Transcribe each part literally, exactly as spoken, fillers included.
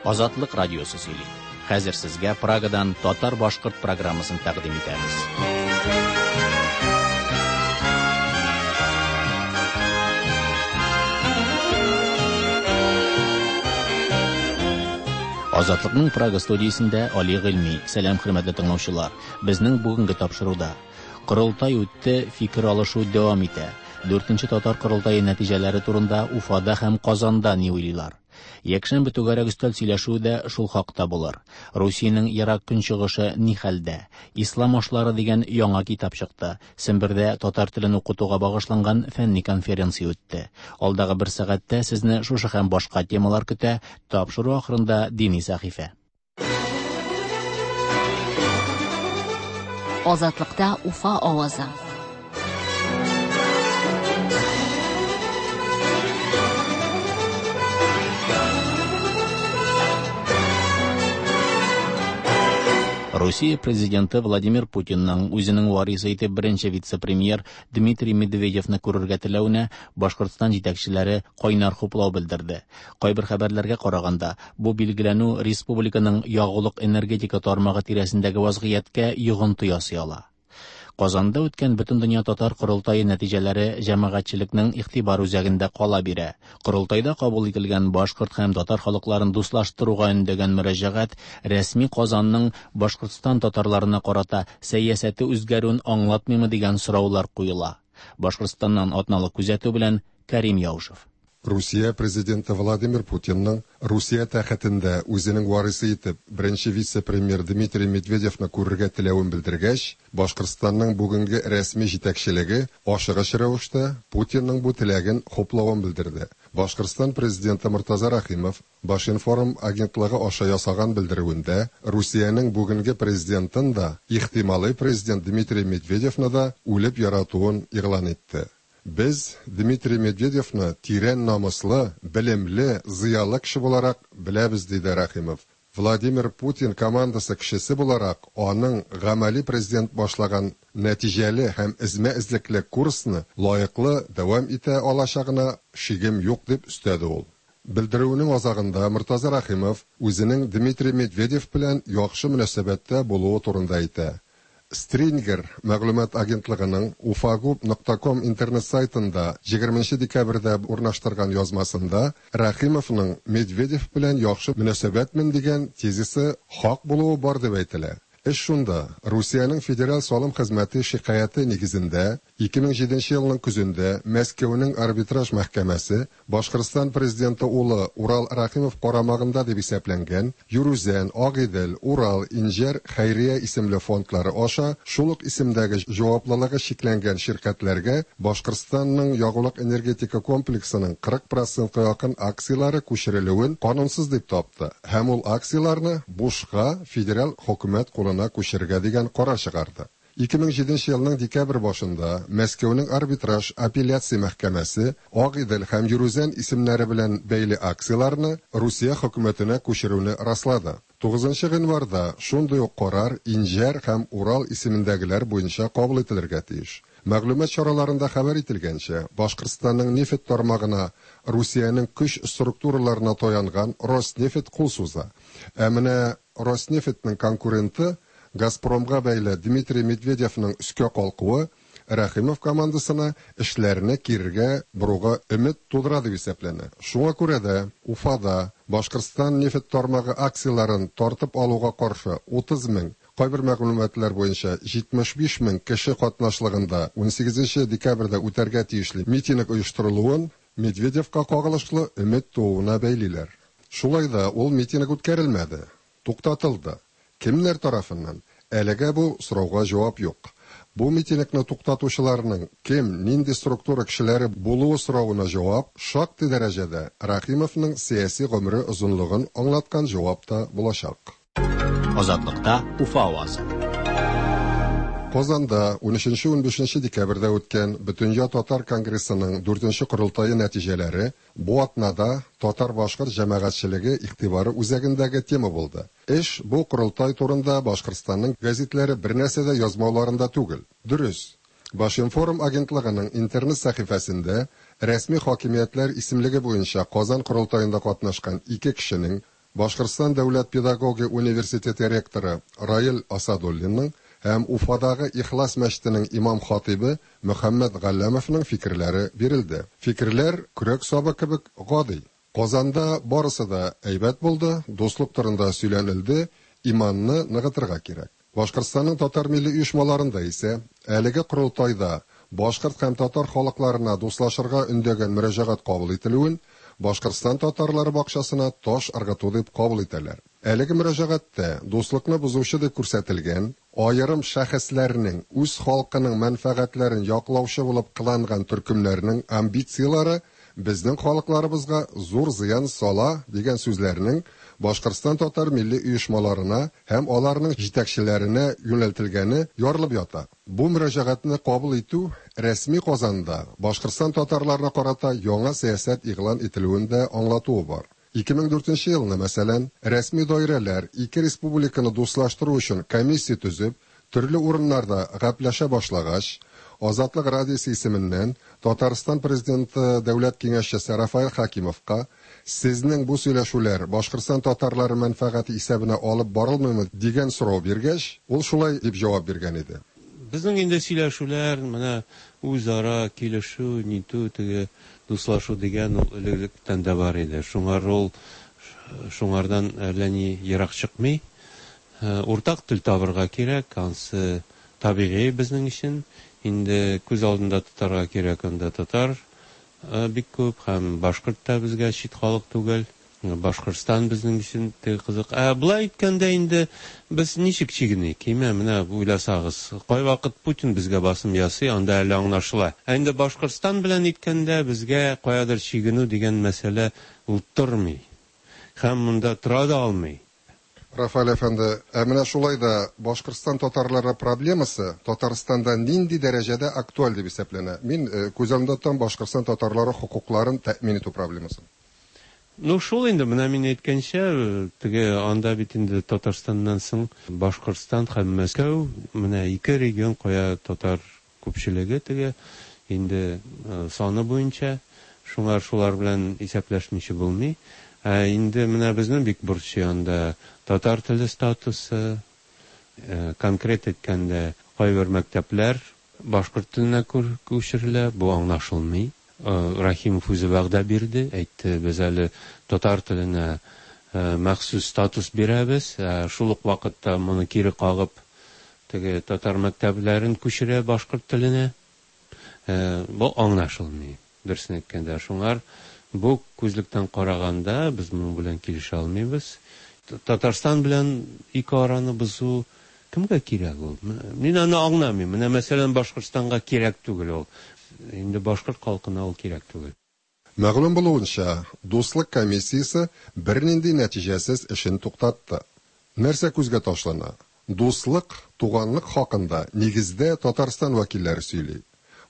Азатлык радиосы сөйли. Хәзер сезгә Прагадан татар-башкорт программасын тәкъдим итәбез. Азатлыкның Прага студиясендә Али Гыйльми. Сәлам, хөрмәтле тыңлаучылар. Безнең бүгенге тапшыруда Корылтай үтте, фикер алышу дәвам итә. Дүртенче татар корылтае нәтиҗәләре турында Уфада һәм Казанда ни уйлыйлар? Якшәмбе түгәрәк өстәл сөйләшүе дә шул хакта булыр. Русиянең ерак көнчыгышы ни хәлдә? Ислам ашлары дигән яңа китап чыкты. Сембердә татар телен укытуга багышланган фәнни конференция үтте. Алдагы бер сәгатьтә сезне шушы һәм башка темалар көтә. Тапшыру ахырында дини сәхифә. Азатлыкта Уфа авазы. Русия президенты Владимир Путинның үзенең варисы итеп беренче вице-премьер Дмитрий Медведевны күрергә теләвенә Башкортстан җитәкчеләре кайнар хуплау белдерде. Кайбер хәбәрләргә караганда, бу билгеләнү республиканың ягулык энергетика тармагы тирәсендәге вазгыятькә йогынты ясый ала. Казанда үткән Бөтендөнья татар корылтае нәтиҗәләре җәмәгатьчелекнең игътибар үзәгендә кала бирә. Корылтайда кабул ителгән башкорт һәм татар халыкларын дуслаштыруга өндәгән мөрәҗәгать рәсми Казанның Башкортстан татарларына карата сәясәте үзгәрүен аңлатмыймы дигән сораулар куела. Башкортстаннан атналык күзәтү белән Карим Яушев. Русия президенты Владимир Путинның Русия тәхетендә үзенең варисы итеп беренче вице-премьер Дмитрий Медведевны күрергә теләвен белдергәч, Башкортстанның бүгенге рәсми җитәкчелеге ашыгыч рәвештә Путинның бу теләген хуплавын белдерде. Башкортстан президенты Мортаза Рәхимов Башинформ агентлыгы аша ясаган белдерүендә Русиянең бүгенге президентын да, ихтималый президент Дмитрий Медведевны да үлеп яратуын игълан итте. Без Дмитрий Медведевны тирән намуслы, белемле, зыялы кеше буларак беләбез, диде Рәхимов. Владимир Путин командасы кешесе буларак, аның гамәли президент башлаган нәтиҗәле һәм эзмә-эзлекле курсны лаеклы дәвам итә алачагына шигем юк, дип өстәде ул. Белдерүенең азагында Мортаза Рәхимов үзенең Дмитрий Медведев белән яхшы мөнәсәбәттә булуы турында әйтә. Стрингер мәгълүмат агентлыгының уфагуб нокта ком интернет сайтында егерменче декабрьдә урнаштырган язмасында Рәхимовның Медведев белән яхшы мөнәсәбәтмен дигән тезисы хак булуы бар дип әйтелә. Эш шунда, Русиянең федераль салым хезмәте шикаяте нигезендә ике мең җиденче елның көзендә Мәскәүнең арбитраж мәхкәмәсе Башкортстан президенты улы Урал Рәхимов карамагында дип исәпләнгән Юрүзән, Агыйдел, Урал, Инҗәр хәйрия исемле фондлары аша шул ук исемдәге җаваплылыгы чикләнгән ширкәтләргә Башкортстанның ягулык энергетика комплексының кырык процентка якын акцияләре күчерелүен канунсыз дип тапты һәм ул акцияләрне бушка федераль хөкүмәт кулына күчерергә дигән карар чыгарды. Ике мең җиденче елның декабрь башында Мәскәүнең арбитраж апелляция мәхкәмәсе Агыйдел һәм Юрүзән исемнәре белән бәйле акцияләрне Русия хөкүмәтенә күчерүне раслады. Тугызынчы гыйнварда шундый ук карар Инҗәр һәм Урал исемендәгеләр буенча кабул ителергә тиеш. Мәгълүмат чараларында хәбәр ителгәнчә, Башкортстанның нефть тармагына Русиянең көч структураларына таянган Роснефть кул суза. Ә менә Роснефтьнең конкуренты Газпромга бәйле Дмитрий Медведевның өскә калкуы Рәхимов командасына эшләрне кирегә боруга өмет тудыра дип исәпләнә. Шуңа күрә дә Уфада Башкортстан нефть тармагы акцияләрен тартып алуга каршы утыз мең, кайбер мәгълүматлар буенча җитмеш биш мең кеше катнашлыгында унсигезенче декабрьдә үтәргә тиешле митинг оештырылуын Медведевка кагылышлы өмет тууына бәйлиләр. Шулай да ул митинг үткәрелмәде, туктатылды. Кемнәр тарафыннан? Әлегә бу сорауга җавап юк. Бу митингны туктатучыларның кем, нинди структура кешеләре булуы соравына җавап шактый дәрәҗәдә Рәхимовның сәяси гомере озынлыгын аңлаткан җавап та булачак. Азатлыкта Уфа авазы. Казанда унөченче унбишенче декабрьдә үткән Бөтендөнья татар конгрессының дүртенче корылтае нәтиҗәләре бу атнада татар-башкорт җәмәгатьчелеге игътибары үзәгендәге тема булды. Эш бу корылтай турында Башкортстанның гәзитләре бер нәрсә дә язмауларында түгел. Дөрес, Башинформ агентлыгының интернет сәхифәсендә рәсми хакимиятләр исемлеге буенча Казан корылтаенда катнашкан ике кешенең Башкортстан дәүләт педагогия университеты ректоры Раил Асадуллинның һәм Уфадагы Ихлас мәчетенең имам-хатыйбы Мөхәммәт Галләмовның фикерләре бирелде. Фикерләр көрәк сабы кебек гади. Казанда барысы да әйбәт булды, дуслык турында сөйләнелде, иманны ныгытырга кирәк. Башкортстанның татар милли оешмаларында исә әлеге корылтайда башкорт һәм татар халыкларына дуслашырга өндәгән мөрәҗәгать кабул ителүен Башкортстан татарлары бакчасына таш ыргыту дип кабул итәләр. Әлеге мөрәҗәгатьтә дуслыкны бозучы дип күрсәтелгән аерым шәхесләрнең үз халкының мәнфәгатьләрен яклаучы булып кыланган төркемнәрнең амбицияләре безнең халыкларыбызга зур зыян сала дигән сүзләрнең Башкортстан татар милли оешмаларына һәм аларның җитәкчеләренә юнәлтелгәне ярылып ята. Бу мөрәҗәгатьне кабул итү рәсми Казанда Башкортстан татарларына карата яңа сәясәт игълан ителүен дә аңлатуы бар. ике мең дүртенче елны, мәсәлән, рәсми даирәләр ике республиканы дуслаштыру өчен комиссия төзеп, төрле урыннарда гәпләшә башлагач, Азатлык радиосы исеменнән Татарстан президенты дәүләт киңәшчесе Рафаэль Хакимовка сезнең бу сөйләшүләр Башкортстан татарлары мәнфәгате исәбенә алып барылмыймы дигән сорау биргәч, ул шулай дип җавап биргән иде. Безнең инде сөйләшүләр, менә үзара килешү, нитү, теге дуслашу дигән ул элек-электән дә бар иде. Шуңар ул шуңардан әллә ни ерак чыкмый. Уртак тел табырга кирәк, ансы табигый безнең өчен. Инде күз алдында тотарга кирәк, анда татар бик күп һәм башкорт та безгә чит халык түгел. Башкортстан безнең өчен теге кызык. Ә болай әйткәндә инде без ничек чигеник? Кимә, менә уйласагыз, кайвакыт Путин безгә басым ясый, анда әле аңлашыла. Ә инде Башкортстан белән әйткәндә безгә каядыр чигенү дигән мәсьәлә ул тормый. Һәм монда тора да алмый. Рафаэль әфәнде, ә менә шулай да Башкортстан татарлары проблемасы Татарстанда нинди дәрәҗәдә актуаль дип исәпләнә? Мин күз алдымда тотам Башкортстан татарлары хокукларын тәэмин итү проблемасын. Ну, шул инде, менә мин әйткәнчә, теге анда бит инде Татарстаннан соң Башкортстан һәм Мәскәү, менә ике регион кая татар күпчелеге теге инде саны буенча, шуңар шулар белән исәпләшмичә булмый. Ә инде менә безнең бик борчый анда татар теле статусы, конкрет әйткәндә, кайбер мәктәпләр башкорт теленә күчерелә, бу аңлашылмый. Рахимов үзе вәгъдә бирде, әйтте, без әле татар теленә махсус статус бирәбез, шул ук вакытта моны кире кагып, теге татар мәктәпләрен күчерә башкорт теленә. Бу аңлашылмый, дөресен әйткәндә. Шуңар бу күзлектән караганда без моның белән килешә алмыйбыз. Татарстан белән ике араны бозу кемгә кирәк ул? Мин аны аңламыйм. Менә мәсәлән Башкортстанга кирәк түгел ул. Инде башкорт халкына ул кирәк түгел. Мәгълүм булуынча, дуслык комиссиясе бернинди нәтиҗәсез эшен туктатты. Нәрсә күзгә ташлана? Дуслык, туганлык хакында нигездә Татарстан вәкилләре сөйли.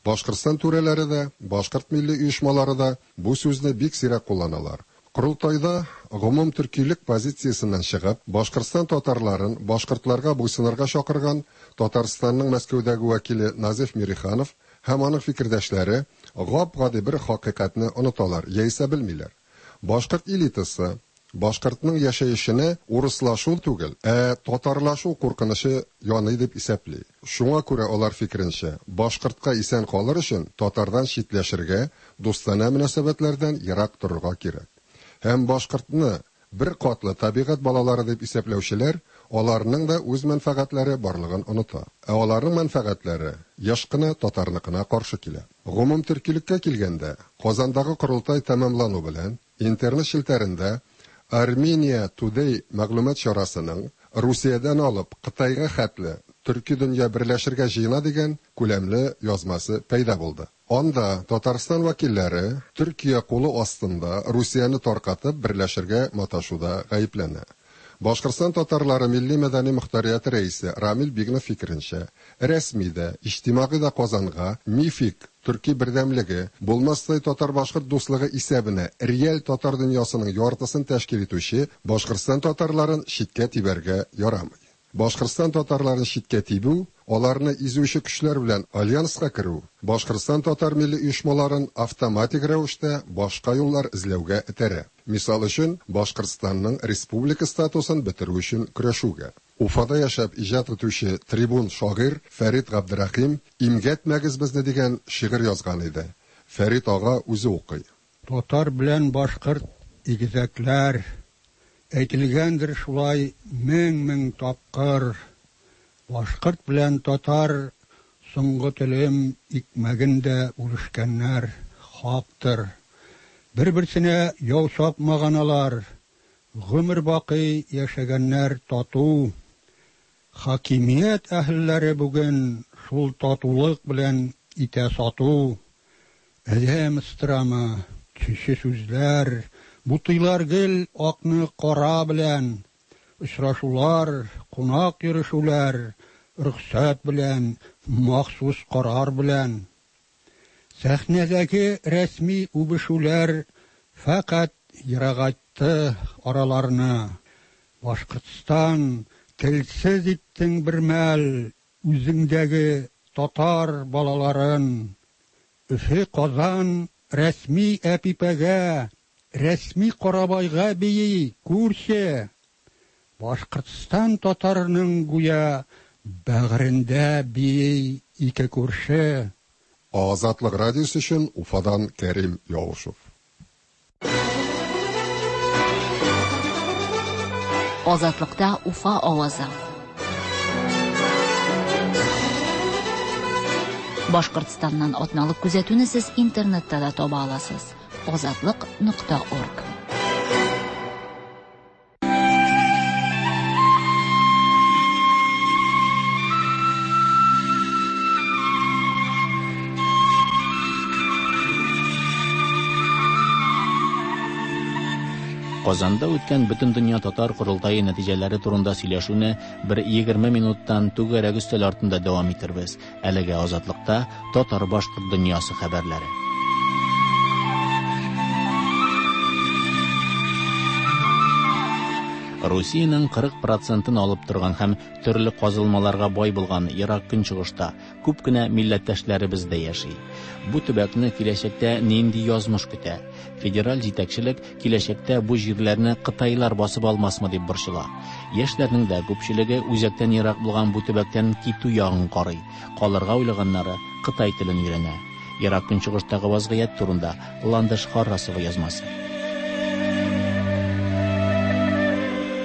Башкортстан түрәләре дә, башкорт милли оешмалары да бу сүзне бик сирәк кулланалар. Корылтайда гомум төркилек позициясеннән чыгып, Башкортстан татарларын башкортларга буйсынырга чакырган Татарстанның Мәскәүдәге вәкиле Назиф Мириханов һәм аның фикердәшләре гап-гади бер хакыйкатьне оныталар, яисә белмиләр. Башкорт элитасы башкортның яшәешенә урыслашу түгел, ә татарлашу куркынычы яный дип исәпли. Шуңа күрә алар фикеренчә, башкортка исән калыр өчен татардан читләшергә, дустанә мөнәсәбәтләрдән ерак торырга кирәк. Һәм башкортны бер катлы табигать балалары дип исәпләүчеләр аларның да үз мәнфәгатьләре барлыгын оныта. Ә аларның мәнфәгатьләре еш кына татарныкына каршы килә. Гомум төркилеккә килгәндә, Казандагы корылтай тәмамлану белән интернет челтәрендә Армения Today мәгълүмат чарасының Русиядән алып Кытайга хәтле төрки дөнья берләшергә җыена дигән күләмле язмасы пәйда булды. Анда Татарстан вәкилләре Төркия кулы астында Русияне таркатып берләшергә маташуда гаепләнә. Башкортстан татарлары милли мәдәни мөхтәрияте рәисе Рамил Бигнов фикеренчә, рәсми дә, иҗтимагый да Казанга мифик төрки бердәмлеге, булмастай татар-башкорт дуслыгы исәбенә реаль татар дөньясының яртысын тәшкил итүче Башкортстан татарларын читкә тибәргә ярамый. Башкортстан татарларын читкә тибү, Аларны изүче көчләр белән альянска керү Башкортстан татар милли оешмаларын автоматик рәвештә башка юллар эзләүгә этәрә. Мисал өчен, Башкортстанның республика статусын бетерү өчен көрәшүгә. Уфада яшәп иҗат итүче трибун шагыйрь Фәрит Габдрәхим Имгәтмәгез безне дигән шигырь язган иде. Фәрит ага үзе укый. Татар белән башкорт игезәкләр. Әйтелгәндер шулай мең-мең тапкыр. Башкорт белән татар соңгы телем икмәген дә бүлешкәннәр, хактыр. Бер-берсенә яу чапмаган алар, гомер бакый яшәгәннәр тату. Хакимият әһелләре бүген шул татулык белән итә сату. Адәм ыстырамы, төче сүзләр, бутыйлар гел акны кара белән. Очрашулар, кунак йөрешүләр, рөхсәт белән, махсус карар белән. Сәхнәдәге рәсми үбешүләр фәкать ерагайтты араларны. Башкортстан, телсез иттең бер мәл үзеңдәге татар балаларын. Өфе, Казан рәсми Әпипәгә, рәсми Карабайга бии, күрше. Башкортстан татарының гүя бәгырендә бии ике күрше. Азатлык радиосы өчен Уфадан Кәрим Яушев. Азатлыкта Уфа авазы. Башкортстаннан атналык күзәтүне сез интернетта да таба аласыз. Азатлык нокта орг. Казанда үткән Бөтендөнья татар корылтае нәтиҗәләре турында сөйләшүне бер егерме минуттан түгәрәк өстәл артында дәвам итербез. Әлегә Азатлыкта татар-башкорт дөньясы хәбәрләре. Русиянең кырык процентын алып торган һәм төрле казылмаларга бай булган Ерак Көнчыгышта күп кенә милләттәшләребез дә яши. Бу төбәкне киләчәктә нинди язмыш көтә? Федераль җитәкчелек киләчәктә бу җирләрне кытайлар басып алмасмы дип борчыла. Яшьләрнең дә күпчелеге үзәктән ерак булган бу төбәктән китү ягын карый. Калырга уйлаганнары кытай телен өйрәнә. Ерак Көнчыгыштагы вазгыять турында Ландыш Харрасова язмасы.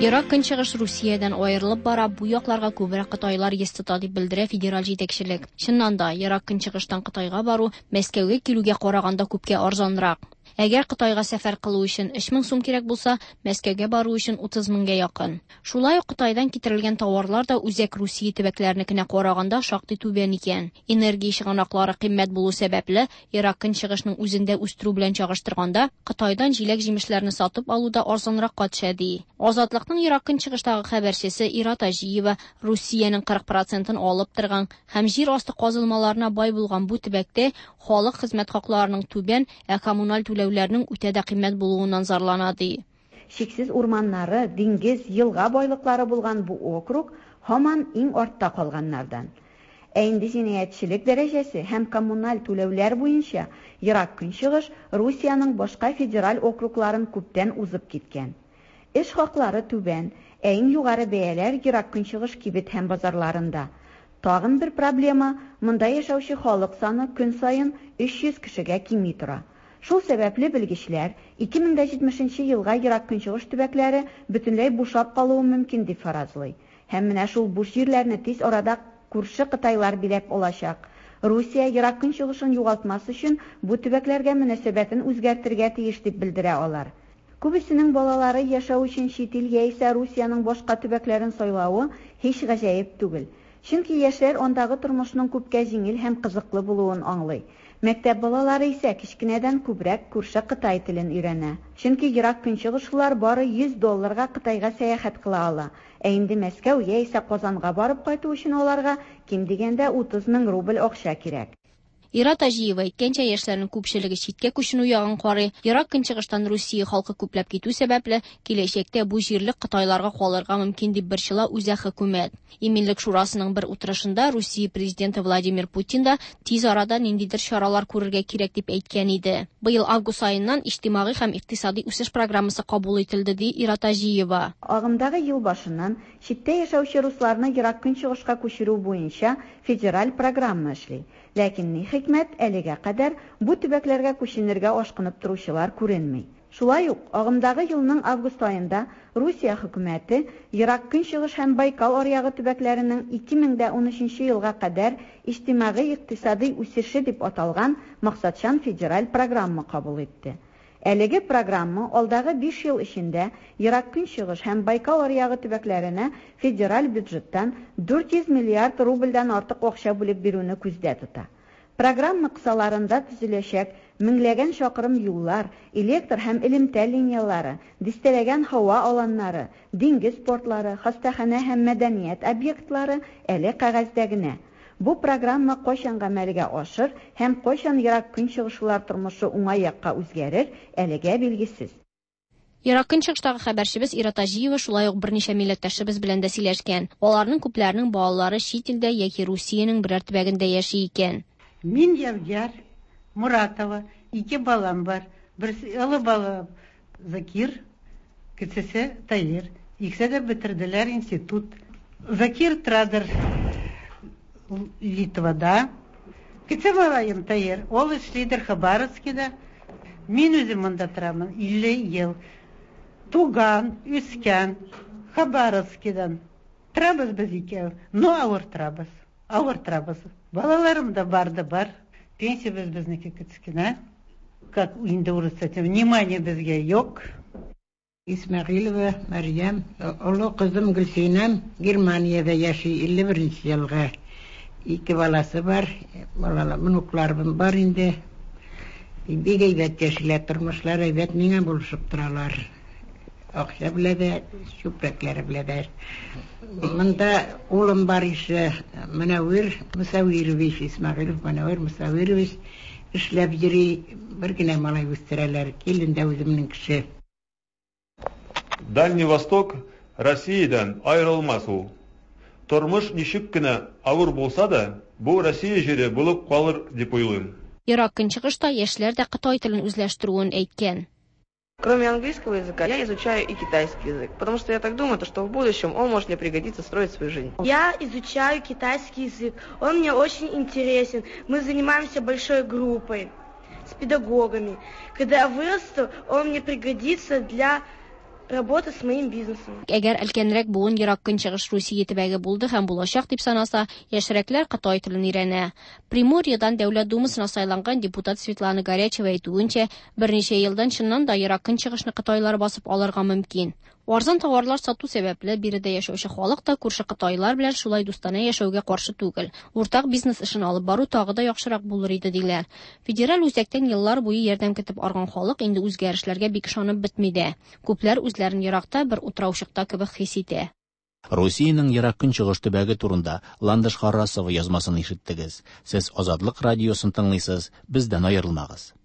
Ерак Көнчыгыш Русиядән аерылып бара, бу якларга күбрәк кытайлар йөз тота дип белдерә федераль җитәкчелек. Чыннан да, Ерак Көнчыгыштан Кытайга бару Мәскәүгә килүгә караганда күпкә арзанрак. Әгәр Кытайга сәфәр кылу өчен өч мең сум кирәк булса, Мәскәүгә бару өчен утыз меңгә якын. Шулай ук Кытайдан китерелгән товарлар да үзәк Русия төбәкләренекенә караганда шактый түбән икән. Энергия чыганаклары кыйммәт булу сәбәпле, Ерак Көнчыгышның үзендә үстерү белән чагыштырганда, Кытайдан җиләк-җимешләрне сатып алу да арзанракка төшә ди. Азатлыкның Ерак Көнчыгыштагы хәбәрчесе Ира Таҗиева Русиянең кырык процентын алып торган һәм җир асты казылмаларына бай булган бу төбәктә халык хезмәт хакларының түбән, ә коммуналь түләүләрнең үтә дә кыйммәт булуыннан зарлана ди. Чиксез урманнары, диңгез, елга байлыклары булган бу округ һаман иң артта калганнардан. Ә инде җинаятьчелек дәрәҗәсе һәм коммуналь түләүләр буенча Ерак Көнчыгыш Русиянең башка федераль округларын күптән узып киткән. Эш хаклары түбән, ә иң югары бәяләр Ерак Көнчыгыш кибет һәм базарларында. Тагын бер проблема, монда яшәүче халык саны көн саен өч йөз кешегә кими тора. Шул сәбәпле белгечләр ике мең дә җитмешенче елга Ерак Көнчыгыш төбәкләре бөтенләй бушап калуы мөмкин дип фаразлый. Һәм менә шул буш җирләрне тиз арада күрше Кытайлар биләп алачак. Русия Ерак Көнчыгышын югалтмас өчен бу төбәкләргә мөнәсәбәтен үзгәртергә тиеш дип белдерә алар. Күбесенең балалары яшәү өчен чит ил яисә Русиянең башка төбәкләрен сайлавы һич гаҗәеп түгел. Чөнки яшьләр андагы тормышның күпкә җиңел һәм кызыклы булуын аңлый. Мәктәп балалары исә кечкенәдән күбрәк күрше Кытай телен өйрәнә. Чөнки Ерак Көнчыгышлылар бары йөз долларга Кытайга сәяхәт кыла ала. Ә инде Мәскәү яисә Казанга барып кайту өчен аларга ким дигәндә утыз мең рубль акча кирәк. Ира Таҗиева әйткәнчә, яшьләрнең күпчелеге читкә күченү ягын карый. Ерак Көнчыгыштан Русия халкы күпләп китү сәбәпле, киләчәктә бу җирлек кытайларга калырга мөмкин дип борчыла үзәк хөкүмәт. Иминлек шурасының бер утырышында Русия президенты Владимир Путин да тиз арада ниндидер чаралар күрергә кирәк дип әйткән иде. Быел август аеннан иҗтимагый һәм икътисади үсеш программасы кабул ителде, ди Ира Таҗиева. Агымдагы ел башыннан читтә яшәүче русларны Ерак Көнчыгышка күчерү буенча федераль программа эшли. Ләкин ни хикмәт, әлегә кадәр бу төбәкләргә күченергә ашкынып торучылар күренми. Шулай ук агымдагы елның август аенда Русия хөкүмәте Ерак Көнчыгыш һәм Байкал аръягы төбәкләренең ике мең дә унөченче елга кадәр иҗтимагый икътисади үсеше дип аталган максатчан федераль программа кабул итте. Әлеге программа алдагы биш ел эчендә Ерак Көнчыгыш һәм Байкал аръягы төбәкләренә федераль бюджеттан дүрт йөз миллиард рубльдән артык акча бүлеп бирүне күздә тота. Программа кысаларында төзеләчәк меңләгән чакрым юллар, электр һәм элемтә линиялары, дистәләгән һава аланнары, диңгез портлары, хастаханә һәм мәдәният объектлары әле кәгазьдә генә. Бу программа кайчан гамәлгә ашыр һәм кайчан Ерак Көнчыгышлар тормышы уңай якка үзгәрер, әлегә билгесез. Ерак Көнчыгыштагы хәбәрчебез Ира Таҗиева шулай ук берничә милләттәшебез белән дә сөйләшкән. Аларның күпләренең балалары чит илдә яки Русиянең берәр төбәгендә яши икән. Мин Явгар Муратова, ике балам бар. Берсе олы бала Закир, кечесе Таир. Икесе дә бетерделәр институт. Закир традер Литвада. Кече малаем Таир, ул эшлидер Хабаровскида. Мин үзем монда торамын илле ел. Туган, үскән Хабаровскидан. Торабыз без икәү, но авыр торабыз. Авыр торабыз. Балаларым да бар да бар. Пенсия безнеке кечкенә. Как инде урысча, внимание безгә юк. Исмәгыйлова Мәрьям, олы кызым Гөлсинәм Германиядә яши, илле беренче елгы. Ике баласы бар, балалар, внукларым бар инде. Бик әйбәт яшиләр, тормышлар әйбәт, миңа булышып торалар. Акча белә дә, чүпрәкләре белә дә. Монда улым бар ише, Мөнәвир Мусавирович, Исмәгыйлов Мөнәвир Мусавирович эшләп йөри, бер генә малай үстерәләр, килен дә үземнең кеше. Дальний Восток Россиядән аерылмас ул. Тормыш ничек кенә авыр булса да, бу Россия җире булып калыр дип уйлыйм. Ерак Көнчыгышта яшьләр дә кытай телен үзләштерүен әйткән. Кроме английского языка, я изучаю и китайский язык, потому что я так думаю, то, что в будущем он может мне пригодиться строить свою жизнь. Я изучаю китайский язык, он мне очень интересен. Мы занимаемся большой группой с педагогами. Когда я вырасту, он мне пригодится для работы с моим бизнесом. Әгәр өлкәнрәк буын Ерак Көнчыгыш Русия төбәге булды һәм булачак дип санаса, яшьрәкләр кытай телен өйрәнә. Приморьедан Дәүләт Думасына сайланган депутат Светлана Горячева әйтүенчә, берничә елдан чыннан да Ерак Көнчыгышны кытайлар басып алырга мөмкин. Арзан товарлар сату сәбәпле биредә яшәүче халык та күрше кытайлар белән шулай дустанә яшәүгә каршы түгел. Уртак бизнес эшен алып бару тагы да яхшырак булыр иде диләр. Федераль үзәктән еллар буе ярдәм көтеп арган халык инде үзгәрешләргә бик ышанып бетми дә. Күпләр үзләрен еракта бер утраучыкта кебек хис итә. Русиянең Ерак Көнчыгыш төбәге турында Ландыш Харрасова язмасын ишеттегез. Сез Азатлык радиосын тыңлыйсыз, бездән аерылмагыз.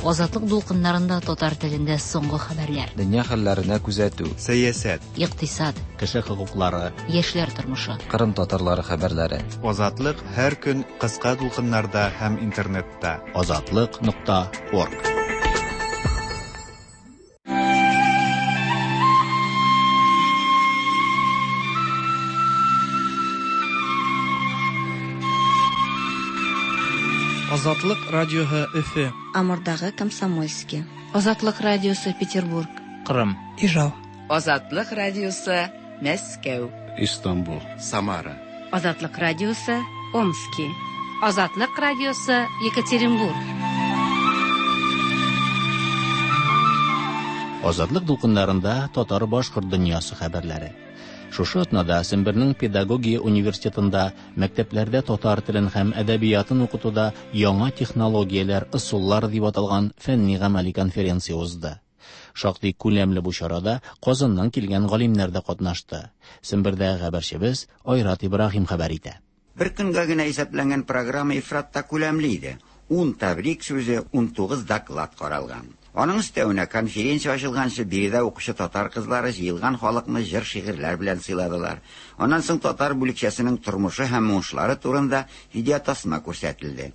Азатлык дулкыннарында татар телендә соңгы хәбәрләр. Дөнья хәлләренә күзәтү, сәясәт, икътисад, кеше хокуклары, яшьләр тормышы, Кырым татарлары хәбәрләре. Азатлык һәр көн кыска дулкыннарда һәм интернетта. Азатлык нокта орг. Азатлык радиоһы Өфе. Амурдагы Комсомольский. Азатлык радиосы Петербург. Кырым. Ижау. Азатлык радиосы Мәскәү. Истанбул. Самара. Азатлык радиосы Омски. Азатлык радиосы Екатеринбург. Азатлык дулкыннарында татар-башкорт дөньясы хәбәрләре. Шушы атнада Сембернең педагогия университетында мәктәпләрдә татар телен һәм әдәбиятын укытуда яңа технологияләр, ысуллар дип аталган фәнни-гамәли конференция узды. Шактый күләмле бу чарада Казаннан килгән галимнәр дә катнашты. Сембердә хәбәрчебез Айрат Ибраһим хәбәр итә. Бер көнгә генә исәпләнгән программа ифрат та күләмле иде. Ун тәбрик сүзе, унтугыз доклад каралган. Аның өстәвенә конференция ачылганчы биредә укучы татар кызлары җыелган халыкны җыр-шигырьләр белән сыйладылар. Аннан соң татар бүлекчәсенең тормышы һәм уңышлары турында видеотасма күрсәтелде.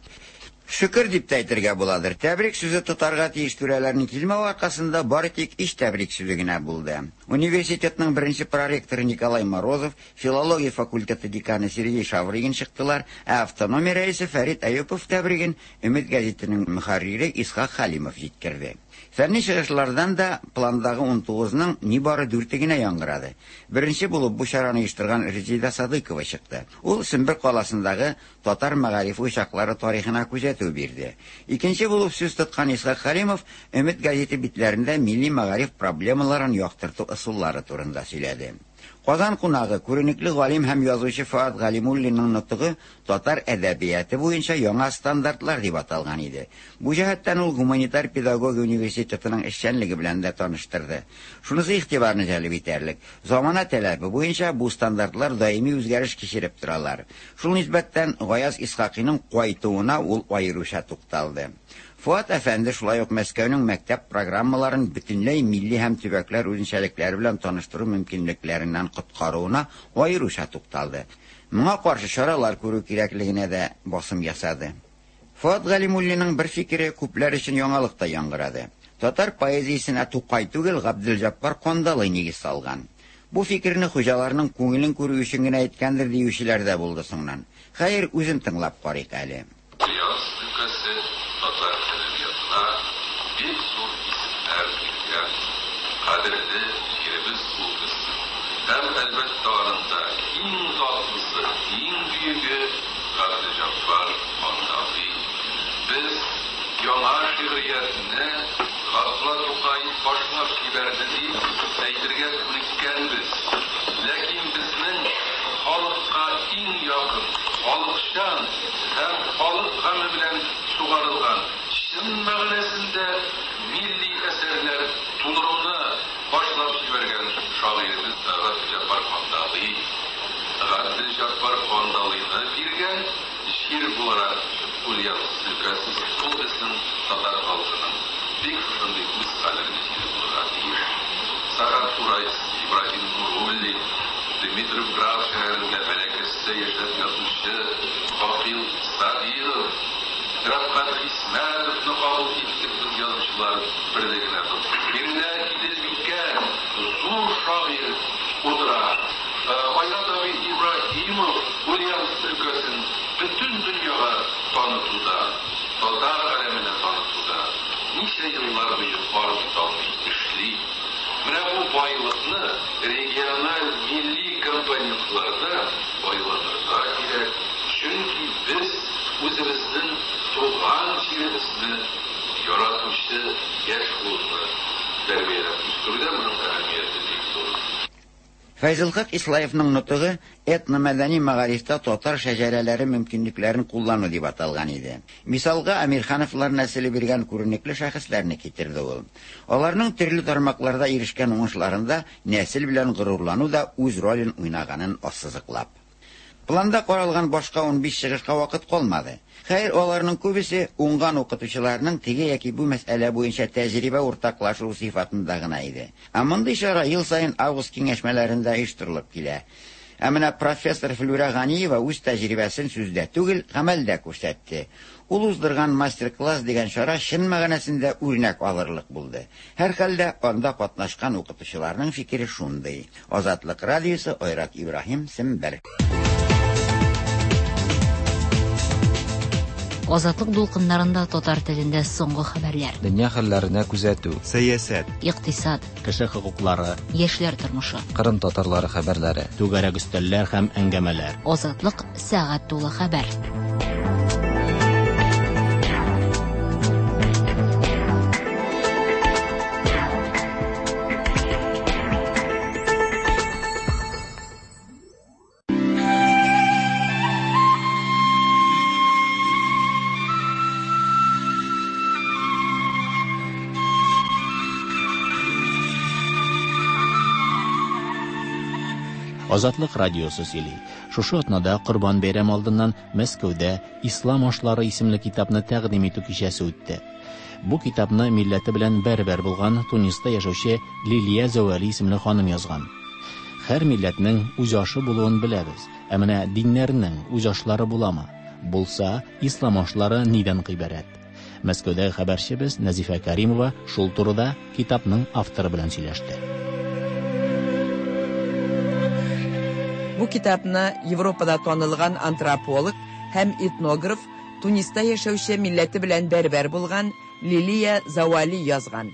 Шөкер дип тә әйтергә буладыр. Тәбрик сүзе тотарга тиеш түрәләрнең килмәве аркасында бары тик өч тәбрик сүзе генә булды. Университетның беренче проректоры Николай Морозов, филология факультеты деканы Сергей Шаврыгин чыктылар, ә автономия рәисе Фәрит Әюпов тәбриген Өмет гәзитенең мөхәррире Исхак Хәлимов җиткерде. Фәнни чыгышлардан да пландагы унтугызның нибары дүрте генә яңгырады. Беренче булып бу чараны оештырган Резида Садыкова чыкты. Ул Сембер каласындагы татар мәгариф учаклары тарихына күзәтү бирде. Икенче булып сүз тоткан Исхак Хәлимов Өмет гәзите битләрендә милли мәгариф проблемаларын яктырту ысуллары турында сөйләде. Казан кунагы күренекле галим һәм язучы Фоат Галимуллинның нотыгы татар әдәбияты буенча яңа стандартлар дип аталган иде. Бу җәһәттән ул гуманитар педагогия университетының эшчәнлеге белән дә таныштырды. Шунысы игътибарны җәлеп итәрлек. Замана таләбе буенча бу стандартлар даими үзгәреш кичереп торалар. Шул нисбәттән Гаяз Исхакыйның кайтуына ул аеруча тукталды. Фоат әфәнде шулай ук Мәскәүнең мәктәп программаларын бөтенләй милли һәм төбәкләр үзенчәлекләре белән таныштыру мөмкинлекләреннән коткаруына аеруча тукталды. Моңа каршы чаралар күрү кирәклегенә дә басым ясады. Фоат Галимуллинның бер фикере күпләр өчен яңалык та яңгырады. Татар поэзиясенә Тукай түгел, Габделҗаббар Кандалый нигез салган. Бу фикерне хуҗаларның күңелен күрү өчен генә әйткәндер диючеләр дә булды соңыннан. Хәер, үзен тыңлап карыйк әле. Татар әдәбиятына бик зур исемнәр биргән кадерле җиребез ул безнең. Һәм әлбәттә арында иң затлысы, иң бөеге Габделҗаббар Кандалый. Без яңа шигъриятне Габдулла Тукай башлап җибәрде дип әйтергә күнеккәнбез. Ләкин безнең халыкка иң якын, халыкчан һәм халык гаме белән сугарылган, чын мәгънәсендә милли әсәрләр тудыруны башлап җибәргән шагыйребез Габделҗаббар Кандалый. Габделҗаббар Кандалыйны биргән җир буларак Ульяновск өлкәсе ул безнең татар халкының бик шундый үз кадерле җире булырга тиеш. Сахат Уральский, Ибраһим Нуруллин, Дмитровград шәһәрендә бәләкәстә яшәп ятучы Гакил Садиров, Рәфкать Хисмәтовны кабул иттек без язучылар берлегенә. Биредә Иделбикә зур шагыйрь утыра. Айрат абый Ибраһимов Ульяновск өлкәсен бөтен дөньяга танытуда, татар галәменә танытуда ничә еллар буе армый-талмый эшли. Менә бу байлыкны региональ милли компонентларда байланырга кирәк. Чөнки без үзебезнең туган җиребезне яратучы яшь буынны тәрбияләп үстерүдә моның әһәмияте бик зур. Фәйзелхак Ислаевның нотыгы этномәдәни мәгарифтә татар шәҗәрәләре мөмкинлекләрен куллану дип аталган иде. Мисалга Әмирхановлар нәселе биргән күренекле шәхесләрне китерде ул. Аларның төрле тармакларда ирешкән уңышларында нәсел белән горурлану да үз ролен уйнаганын ассызыклап. Планда каралган башка унбиш чыгышка вакыт калмады. Хәер, аларның күбесе уңган укытучыларның теге яки бу мәсьәлә буенча тәҗрибә уртаклашу сыйфатында гына иде. Ә мондый чара ел саен август киңәшмәләрендә оештырылып килә. Ә менә профессор Флюра Ганиева үз тәҗрибәсен сүздә түгел, гамәлдә күрсәтте. Ул уздырган мастер-класс дигән чара чын мәгънәсендә үрнәк алырлык булды. Һәрхәлдә анда катнашкан укытучыларның фикере шундый. Азатлык радиосы, Айрат Ибраһим, Сембер. Азатлык дулкыннарында татар телендә соңгы хәбәрләр. Дөнья хәлләренә күзәтү, сәясәт, икътисад, кеше хокуклары, яшьләр тормышы, Кырым татарлары хәбәрләре, түгәрәк өстәлләр һәм әңгәмәләр. Азатлык сәгать тулы хәбәр. Азатлык радиосы сөйли. Шушы атнада Корбан бәйрәме алдыннан Мәскәүдә Ислам ашлары исемле китапны тәкъдим итү кичәсе үтте. Бу китапны милләте белән бәрбәр булган Туниста яшәүче Лилия Зәвәли исемле ханым язган. Һәр милләтнең үз ашы булуын беләбез. Ә менә диннәрнең үз ашлары буламы? Булса, ислам ашлары нидән гыйбарәт? Мәскәүдәге хәбәрчебез Нәзифә Каримова шул турыда китапның авторы белән сөйләште. Бу китапны Европада танылган антрополог һәм этнограф, Туниста яшәүче милләте белән бәрбәр булган Лилия Завали язган.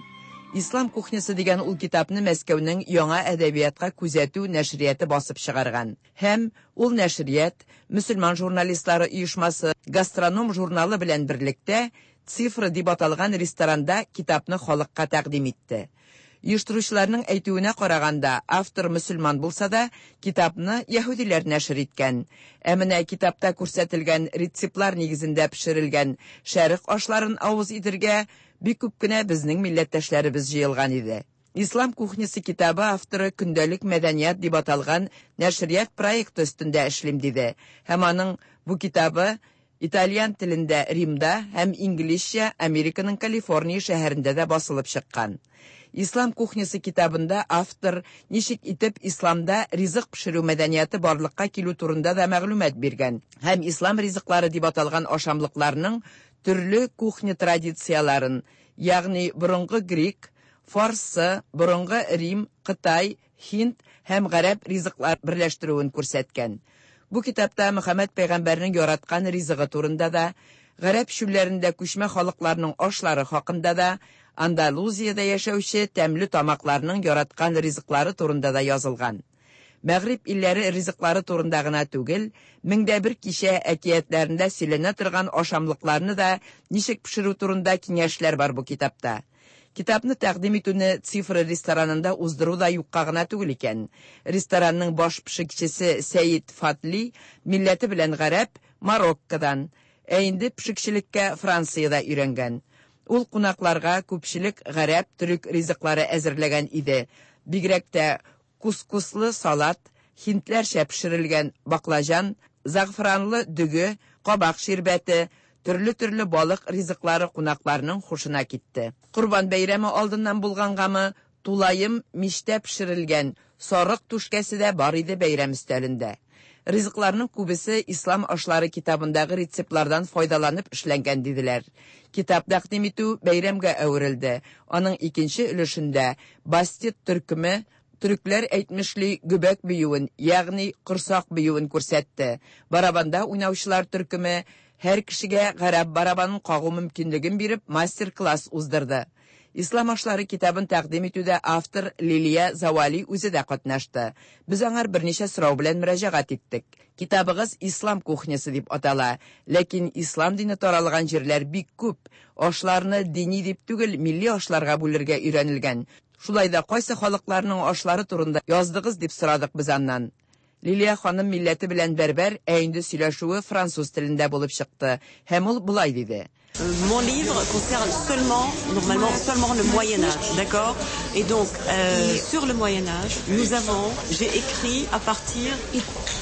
Ислам кухнясы дигән ул китапны Мәскәүнең яңа әдәбиятка күзәтү нәшрияты басып чыгарган. Һәм ул нәшрият мөселман журналистлары оешмасы Гастроном журналы белән берлектә Цифра дип аталган ресторанда китапны халыкка тәкъдим итте. Оештыручыларның әйтүенә караганда, автор мөселман булса да, китапны яһүдиләр нәшер иткән. Ә менә китапта күрсәтелгән рецептлар нигезендә пешерелгән шәрык ашларын авыз итергә бик күп кенә безнең милләттәшләребез җыелган иде. Ислам кухнясы китабы авторы көндәлек мәдәният дип аталган нәшрият проекты өстендә эшлим диде. Һәм аның бу китабы итальян телендә Римда һәм инглизчә Американың Калифорния шәһәрендә дә басылып чыккан. Ислам кухнясы китабында автор ничек итеп исламда ризык пешерү мәдәнияте барлыкка килү турында да мәгълүмат биргән. Һәм ислам ризыклары дип аталган ашамлыкларның төрле кухня традицияларын, ягъни борынгы грек, фарсы, борынгы Рим, Кытай, Һинд һәм гарәп ризыклар берләштерүен күрсәткән. Бу китапта Мөхәммәд пәйгамбәрнең яраткан ризыгы турында да, гарәп чүлләрендә күчмә халыкларның ашлары хакында да, Андалузиядә яшәүче тәмле тамакларның яраткан ризыклары турында да язылган. Мәгъриб илләре ризыклары турында гына түгел, меңдә бер кичә әкиятләрендә сөйләнә торган ашамлыкларны да ничек пешерү турында киңәшләр бар бу китапта. Китапны тәкъдим итүне Цифра ресторанында уздыру да юкка гына түгел икән. Ресторанның баш пешекчесе Сәид Фатли милләте белән гарәп, Мароккодан, ә инде пешекчелеккә Франциядә өйрәнгән. Ул кунакларга күпчелек гарәп, төрек ризыклары әзерләгән иде. Бигрәк тә кускуслы салат, һиндләрчә пешерелгән баклажан, зәгъфранлы дөге, кабак ширбәте, төрле-төрле балык ризыклары кунакларның хушына китте. Корбан бәйрәме алдыннан булгангамы, тулаем мичтә пешерелгән сарык түшкәсе дә бар иде бәйрәм өстәлендә. Ризыкларның күбесе ислам ашлары китабындагы рецептлардан файдаланып эшләнгән диделәр. Китап тәкъдим итү бәйрәмгә әверелде. Аның икенче өлешендә Бастет төркеме төрекләр әйтмешли гөбәк биюен, ягъни корсак биюен күрсәтте. Барабанда уйнаучылар төркеме һәр кешегә гарәп барабанын кагу мөмкинлеген биреп мастер-класс уздырды. Ислам ашлары китабын тәкъдим итүдә автор Лилия Завали үзе дә катнашты. Без аңар берничә сорау белән мөрәҗәгать иттек. Китабыгыз Ислам кухнясы дип атала, ләкин ислам дине таралган җирләр бик күп. Ашларны дини дип түгел, милли ашларга бүлергә өйрәнелгән. Шулай да кайсы халыкларның ашлары турында яздыгыз дип сорадык без аннан. Лилия ханым милләте белән бәрбәр, ә инде сөйләшүе француз телендә булып чыкты. Һәм ул болай диде. Mon livre concerne seulement, normalement, seulement le Moyen Âge, d'accord? Et donc, euh, sur le Moyen Âge, nous avons, j'ai écrit à partir,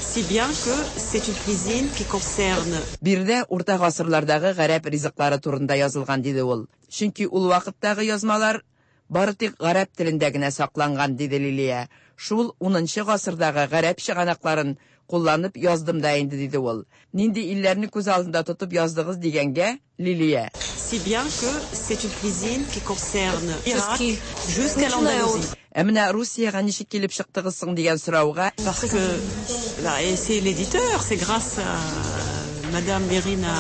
si bien que c'est une cuisine qui concerne. Биредә урта гасырлардагы гарәп ризыклары турында язылган диде ул. Чөнки ул вакыттагы язмалар бары тик гарәп телендә генә сакланган диде Лилия. Шул унынчы гасырдагы гарәп чыганакларын кулланып яздым да инде диде ул. Нинди илләрне күз алдында тотып яздыгыз дигәнгә Лилия. Si bien que c'est une cuisine qui concerne Irak jusqu'à l'Andalousie. Ә менә Русиягә ничек килеп чыктыгыз соң дигән сорауга, Parce que là, et c'est l'éditeur, c'est grâce à Madame Irina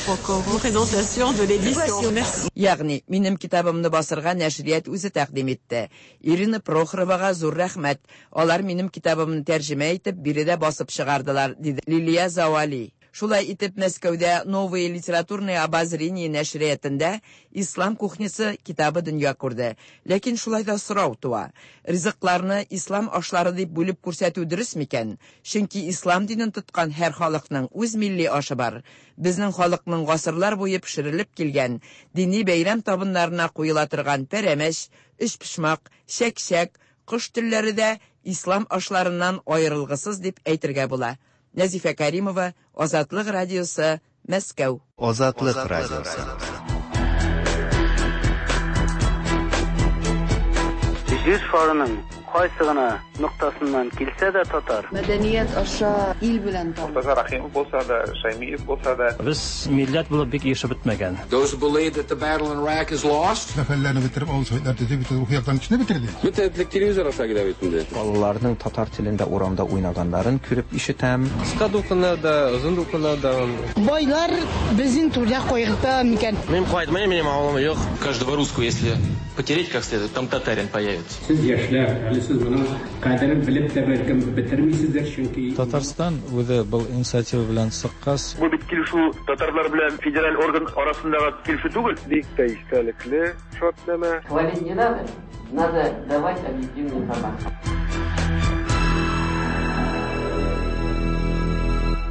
Prokhorova, présentation de l'édition. Merci. Ягъни минем китабымны басырга нәшрият үзе тәкъдим итте. Ирина Прохоровага зур рәхмәт. Алар минем китабымны тәрҗемә итеп биредә басып чыгардылар, диде Лилия Завали. Шулай итеп Мәскәүдә Новые литературные обозрения нәшриятында Ислам кухнясы китабы дөнья күрде. Ләкин шулай да сорау туа. Ризыкларны ислам ашлары дип бүлеп күрсәтү дөрес микән? Чөнки ислам динен тоткан һәр халыкның үз милли ашы бар. Безнең халыкның гасырлар буе пешерелеп килгән дини бәйрәм табыннарына куела торган пәрәмәч, өчпочмак, чәк-чәк, кош телләре дә ислам ашларыннан аерылгысыз дип әйтергә була. Нәзифә Каримова, Азатлык радиосы, Мәскәү. Азатлык радиосы. Җир шарының кайсы гына ноктасыннан килсә дә татар. Мәдәният аша ил белән таныш. Мортаза Рахимов булса да, Шаймиев булса да. Без милләт булып бик ирешеп бетмәгән. Those who believe that the battle in Iraq is lost. Сәфәрләрне бетереп, авыл советлар төзеп, бөтен рухи яктан көчне бетерде. Бөтен телевизор аша килә бит инде. Балаларның татар телендә урамда уйнаганнарын күреп ишетәм. Кыска дулкыннарда, озын дулкыннарда. Байлар безнең түрдә кайгырта микән? Мин кайтмыйм, минем авылым юк. Каждого русского, если потереть как следует, там татарин появится. Сез яшьләр, әле сез моның кадерен белеп тә бәлкем бетермисездер, чөнки Татарстан үзе был инициатива белән чыккач, бу бит килешү татарлар белән федераль орган арасындагы килешү түгел. Бик тә истәлекле шартнамә. Хвалить не надо, надо давать объективную информацию.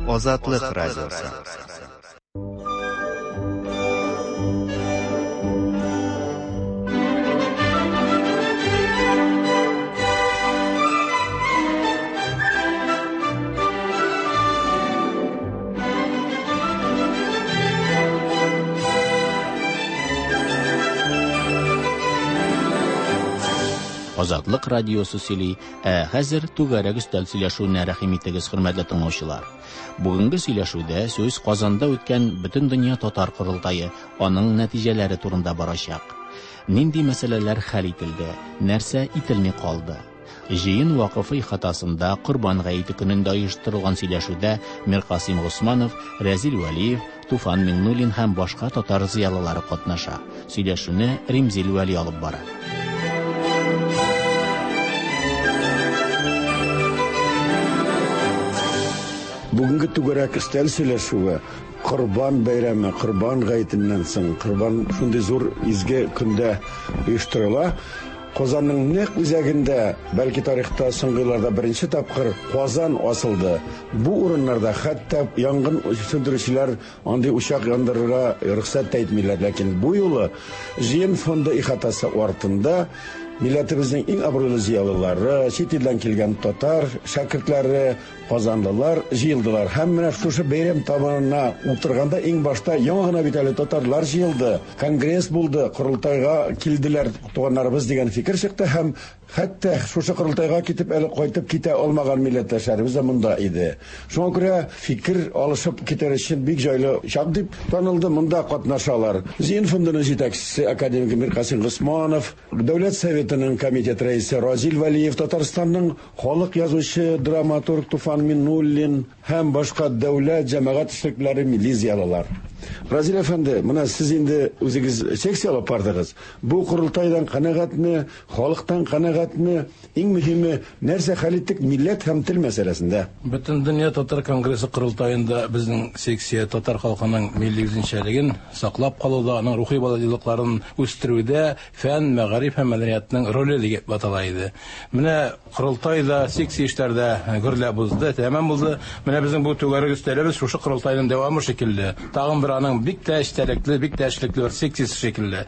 Азатлык радиосы. Азатлык радиосы сөйли, ә хәзер түгәрәк өстәл сөйләшүенә рәхим итегез, хөрмәтле тыңлаучылар. Бүгенге сөйләшүдә сүз Казанда үткән Бөтендөнья татар корылтае, аның нәтиҗәләре турында барачак. Нинди мәсьәләләр хәл ителде, нәрсә ителми калды? Җыен вакыфы ихатасында Корбан гаете көнендә оештырылган сөйләшүдә Миркасыйм Госманов, Рәзил Вәлиев, Туфан Миңнуллин һәм башка татар зыялылары катнаша. Сөйләшүне Римзил Вәли алып бара. Бүгенге түгәрәк өстәл сөйләшүе Корбан бәйрәме, Корбан гаетеннән соң, Корбан шундый зур изге көндә оештырыла. Казанның нәкъ үзәгендә, бәлки тарихта соңгы елларда беренче тапкыр Казан асылды. Бу урыннарда хәтта янгын сүндерүчеләр андый учак яндырырга рөхсәт тә итмиләр, ләкин бу юлы Җыен фонды ихатасы артында милләтебезнең иң абруйлы зыялылары, чит илдән килгән татар шәкертләре, казанлылар җыелдылар. Һәм менә шушы бәйрәм табынына утырганда иң башта яңа гына бит әле татарлар җыелды, конгресс булды, корылтайга килделәр туганнарыбыз дигән фикер чыкты һәм хәтта шушы корылтайга китеп әле кайтып китә алмаган милләттәшләребез дә монда иде. Шуңа күрә фикер алышып китәр өчен бик җайлы чак дип танылды, монда катнашалар. Җыен фондының җитәкчесе академик Миркасыйм Госманов, Дәүләт Советының комитет рәисе Разил Вәлиев, Татарстанның халык язучы, драматург Туфан Миңнуллин һәм башка дәүләт җәмәгать эшлеклеләре, милли зыялылар. Разил әфәнде, менә сез инде үзегез секция алып бардыгыз. Бу корылтайдан канәгатьме, халыктан канәгатьме? Иң мөһиме, нәрсә хәл иттек милләт һәм тел мәсьәләсендә? Бөтендөнья татар конгрессы корылтаенда безнең секция татар халкының милли үзенчәлеген саклап калуда, аның рухи байлыкларын үстерүдә фән, мәгариф һәм мәдәниятның роле дип атала иде. Менә корылтайда секция эшләрдә гөрләп узды, тәмам булды. Менә безнең бу түгәрәк өстәлебез шушы корылтайның дәвамы шикелле. Тагын бер аның бик тә эчтәлекле, бик тә эшлекле бер секциясе шикелле.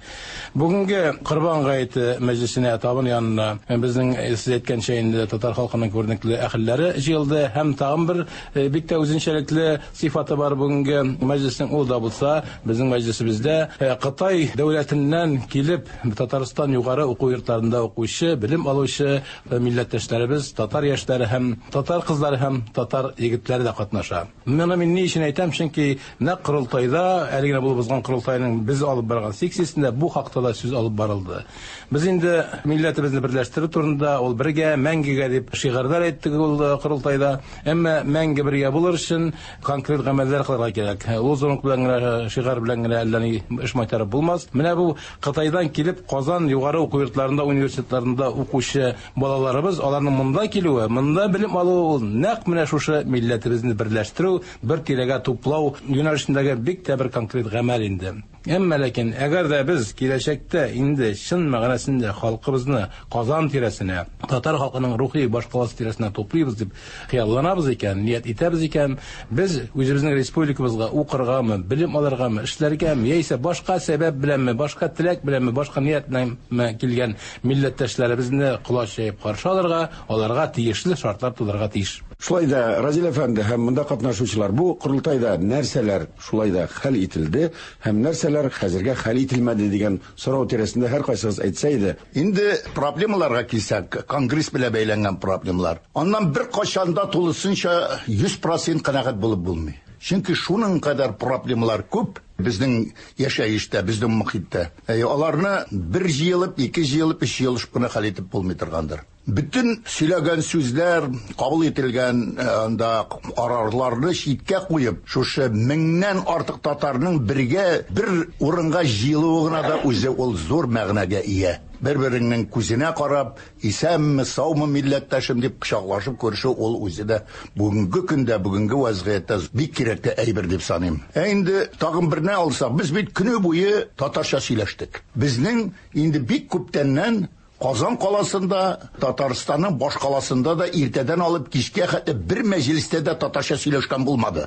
Бүгенге Корбан гаете мәҗлесенә табын янына безнең сез әйткәнчә инде татар халкының күренекле әһелләре җыелды һәм тагын бер бик тә үзенчәлекле сыйфаты бар бүгенге мәҗлеснең, ул да булса безнең мәҗлесебездә Кытай дәүләтеннән килеп Татарстан югары уку йортларында укучы, белем алучы милләттәшләребез, татар яшьләре һәм татар кызлары һәм татар егетләре дә катнаша. Моны мин ни өчен әйтәм? Чөнки нәкъ корылтайда, әле генә булып узган корылтайның без алып барган секциясендә бу хакта да сүз алып барылды. Без инде милләтебезне берләштерү турында, ул бергә, мәңгегә дип шигарьләр әйттек ул корылтайда. Әмма мәңге бергә булыр өчен конкрет гамәлләр кылырга кирәк. Лозунг белән генә, шигарь белән генә әллә ни эш майтарып булмас. Менә бу Кытайдан килеп Казан югары уку йортларында, университетларында укучы балаларыбыз, аларның монда килүе, монда белем алуы ул нәкъ менә шушы милләтебезне берләштерү, бер тирәгә туплау юнәлешендәге бик тә бер конкрет гамәл инде. Әмма ләкин әгәр дә без киләчәктә инде чын мәгънәсендә халкыбызны Казан тирәсенә, татар халкының рухи башкаласы тирәсенә туплыйбыз дип хыялланабыз икән, ният итәбез икән, без үзебезнең республикабызга укыргамы, белем алыргамы, эшләргәме, яисә башка сәбәп беләнме, башка теләк беләнме, башка ният беләнме килгән милләттәшләребезне колач җәеп каршы алырга, аларга тиешле шартлар тудырырга тиеш. Шулай да Разил әфәнде һәм монда катнашучылар, бу корылтайда нәрсәләр шулай да хәл ителде һәм нәрсәләр хәзергә хәл ителмәде дигән сорау тирәсендә һәркайсыгыз әйтсә иде. Инде проблемаларга килсәк, конгресс белән бәйләнгән проблемалар. Аннан бер кайчан да тулысынча йөз процент канәгать булып булмый. Чөнки шуның кадәр проблемалар күп безнең яшәештә, безнең мохиттә. Аларны бер җыелып, ике җыелып, өч җыелышып кына хәл итеп булмый торгандыр. Бөтен сөйләгән сүзләр, кабул ителгән анда карарларны читкә куеп, шушы меңнән артык татарның бергә бер урынга җыелуы гына да үзе ул зур мәгънәгә ия. Бер-береңнең күзенә карап, исәнме, саумы милләттәшем дип кочаклашып күрешү ул үзе дә бүгенге көндә, бүгенге вазгыятьтә бик кирәкле әйбер дип саныйм. Ә инде тагын берне алсак, без бит көне буе татарча сөйләштек. Безнең инде бик күптәннән Казан каласында, Татарстанның баш каласында да иртәдән алып кичкә хәтле бер мәҗлестә дә татарча сөйләшкән булмады.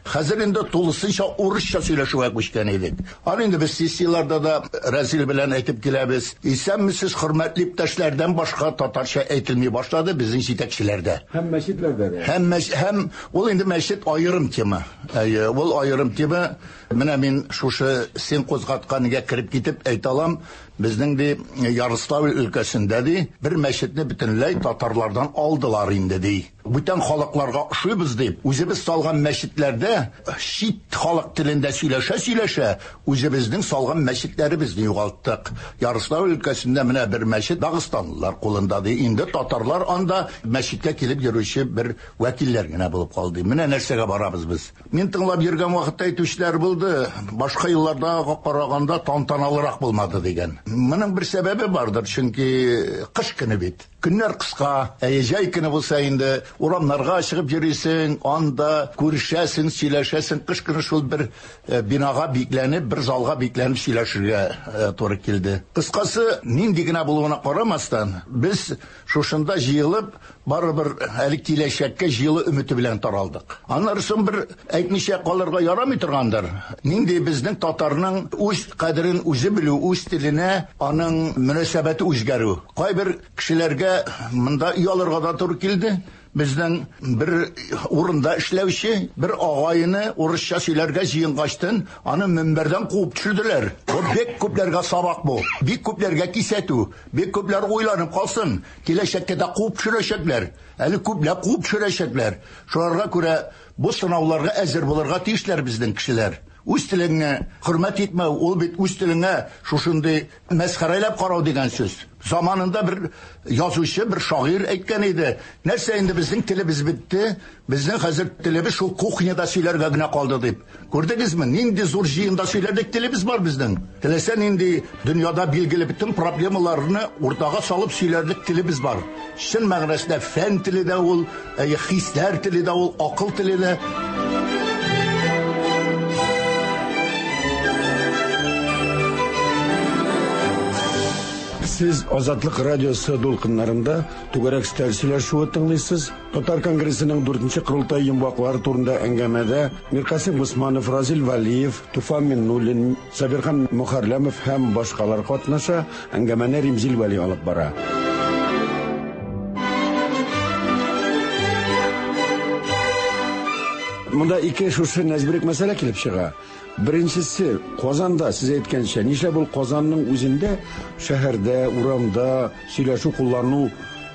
Хәзер инде тулысынча урысча сөйләшүгә күчкән идек. Аны инде без сессияләрдә дә Разил белән әйтеп киләбез. Исәнмесез, хөрмәтле иптәшләрдән башка татарча әйтелми башлады безнең җитәкчеләрдә. Һәм мәчетләрдә дә. Һәм һәм ул инде мәчет аерым тема. Әйе, ул аерым тема. Менә мин шушы син кузгатканга кереп китеп әйтә алам, безнең ди Ярославль өлкәсендә ди бер мәчетне бөтенләй татарлардан алдылар инде ди. Бүтән халыкларга ошыйбыз дип, үзебез салган мәчетләрдә чит халык телендә сөйләшә-сөйләшә үзебезнең салган мәчетләребезне югалттык. Ярославль өлкәсендә менә бер мәчет дагыстанлылар кулында ди. Инде татарлар анда мәчеткә килеп йөрүче бер вәкилләр генә булып калды. Менә нәрсәгә барабыз без. Мин тыңлап йөргән вакытта әйтүчеләр булды, башка елларда караганда тантаналырак булмады дигән. Моның бер сәбәбе бардыр, чөнки кыш көне бит. Көннәр кыска, ә җәй көне булса инде урамнарга чыгып йөрисең, анда күрешәсең, сөйләшәсең. Кыш көне шул бер бинага бикләнеп, бер залга бикләнеп сөйләшергә туры килде. Кыскасы, нинди генә булуына карамастан, без шушында җыелып, барыбер әле киләчәккә җылы өмете белән таралдык. Аннары соң бер әйтмичә калырга ярамый торгандыр. Нинди безнең татарның үз кадерен үзе белү, үз теленә аның мөнәсәбәте үзгәрү. Кайбер кешеләргә монда оялырга да туры килде. Безнең бер урында эшләүче бер агайны урысча сөйләргә җыенгачтын, аны мөнбәрдән куып төшерделәр. Бу бик күпләргә сабак бу. Бик күпләргә кисәтү. Бик күпләр уйланып калсын. Киләчәктә дә куып төшерәчәкләр. Әле күпләп куып төшерәчәкләр. Шуларга күрә бу сынауларга әзер булырга тиешләр безнең кешеләр. Үз телеңне хөрмәт итмәү, ул бит үз телеңә шушындый мәсхәрәләп карау дигән сүз. Заманында бер язучы, бер шагыйрь әйткән иде. Нәрсә инде безнең телебез бетте, безнең хәзер телебез шул кухняда сөйләргә генә калды дип. Күрдегезме, нинди зур җыенда сөйләдек, телебез бар безнең. Теләсә нинди дөньяда билгеле бөтен проблемаларны уртага салып сөйләрлек телебез бар. Чын мәгънәсендә фән теле дә ул, хисләр теле дә ул, акыл теле дә. Сез Азатлык радиосы дулкыннарында түгәрәк өстәл сөйләшүе тыңлыйсыз. Татар конгрессының дүртенче корылтай йомгаклары турында әңгәмәдә Миркасыйм Госманов, Разил Валиев, Туфан Миннуллин, Сабирхан Мөхәрләмов һәм башкалар катнаша. Әңгәмәне Римзил Вәли алып бара. Монда ике шушы нәзберек мәсьәлә килеп чыга. Беренчесе, Казанда, сез әйткәнчә, нишләп ул Казанның үзендә шәһәрдә, урамда сөйләшү куллану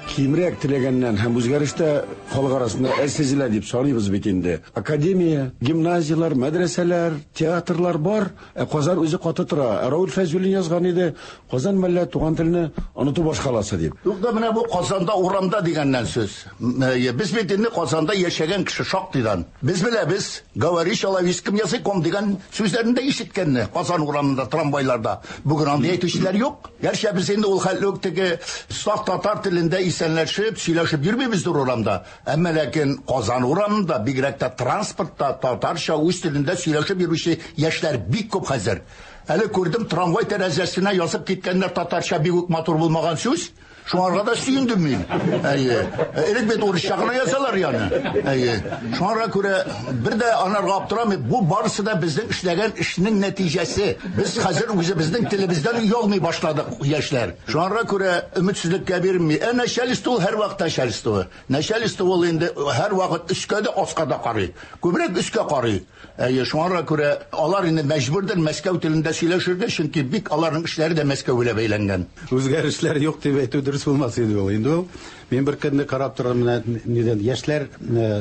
кимрәк теләгәннән һәм үзгәрештә халык арасында әз сизелә дип саныйбыз бит инде. Академия, гимназияләр, мәдрәсәләр, театрлар бар, ә Казан үзе каты тора. Ә Рауль Фәйзуллин язган иде, Казан мәллә туган телне оныту башкаласы дип. Юк да менә бу Казанда урамда дигәннән сүз. Без бит инде Казанда яшәгән кеше шактыйдан. Без беләбез, говори человеческим языком дигән сүзләрне дә ишеткәнне Казан урамында, трамвайларда. Бүген андый әйтүчеләр юк. Гәрчә без инде ул хәтле үк теге саф татар телендә исәнләшеп, сөйләшеп йөрмибездер урамда. Әмма ләкин Казан урамында, бигрәк тә транспортта татарча үз телендә сөйләшеп йөрүче яшьләр бик күп хәзер. Әле күрдем, трамвай тәрәзәсенә язып киткәннәр татарча бик үк матур булмаган сүз. Шуңарга да сөендем мин. Әйе. Элек бит урысча гына язалар яны. Әйе. Шуңарга күрә бер дә анарга аптырамый. Бу барысы да безнең эшләгән эшнең нәтиҗәсе. Без хәзер үзебезнең телебездән оялмый башладык, яшьләр. Шуңарга күрә өметсезлеккә бирми. Ә начальство ул һәрвакыт начальство. Начальство ул инде һәрвакыт өскә дә, аска да карый. Күбрәк өскә карый. Әйе, шуңарга күрә алар инде мәҗбүрдер Мәскәү телендә сөйләшергә, чөнки бик аларның эшләре дә Мәскәү белән бәйләнгән. Үзгәрешләр юк дип әйтү дөрес булмас иде ул. Инде ул мин бер көнне карап торам, менә нидән яшьләр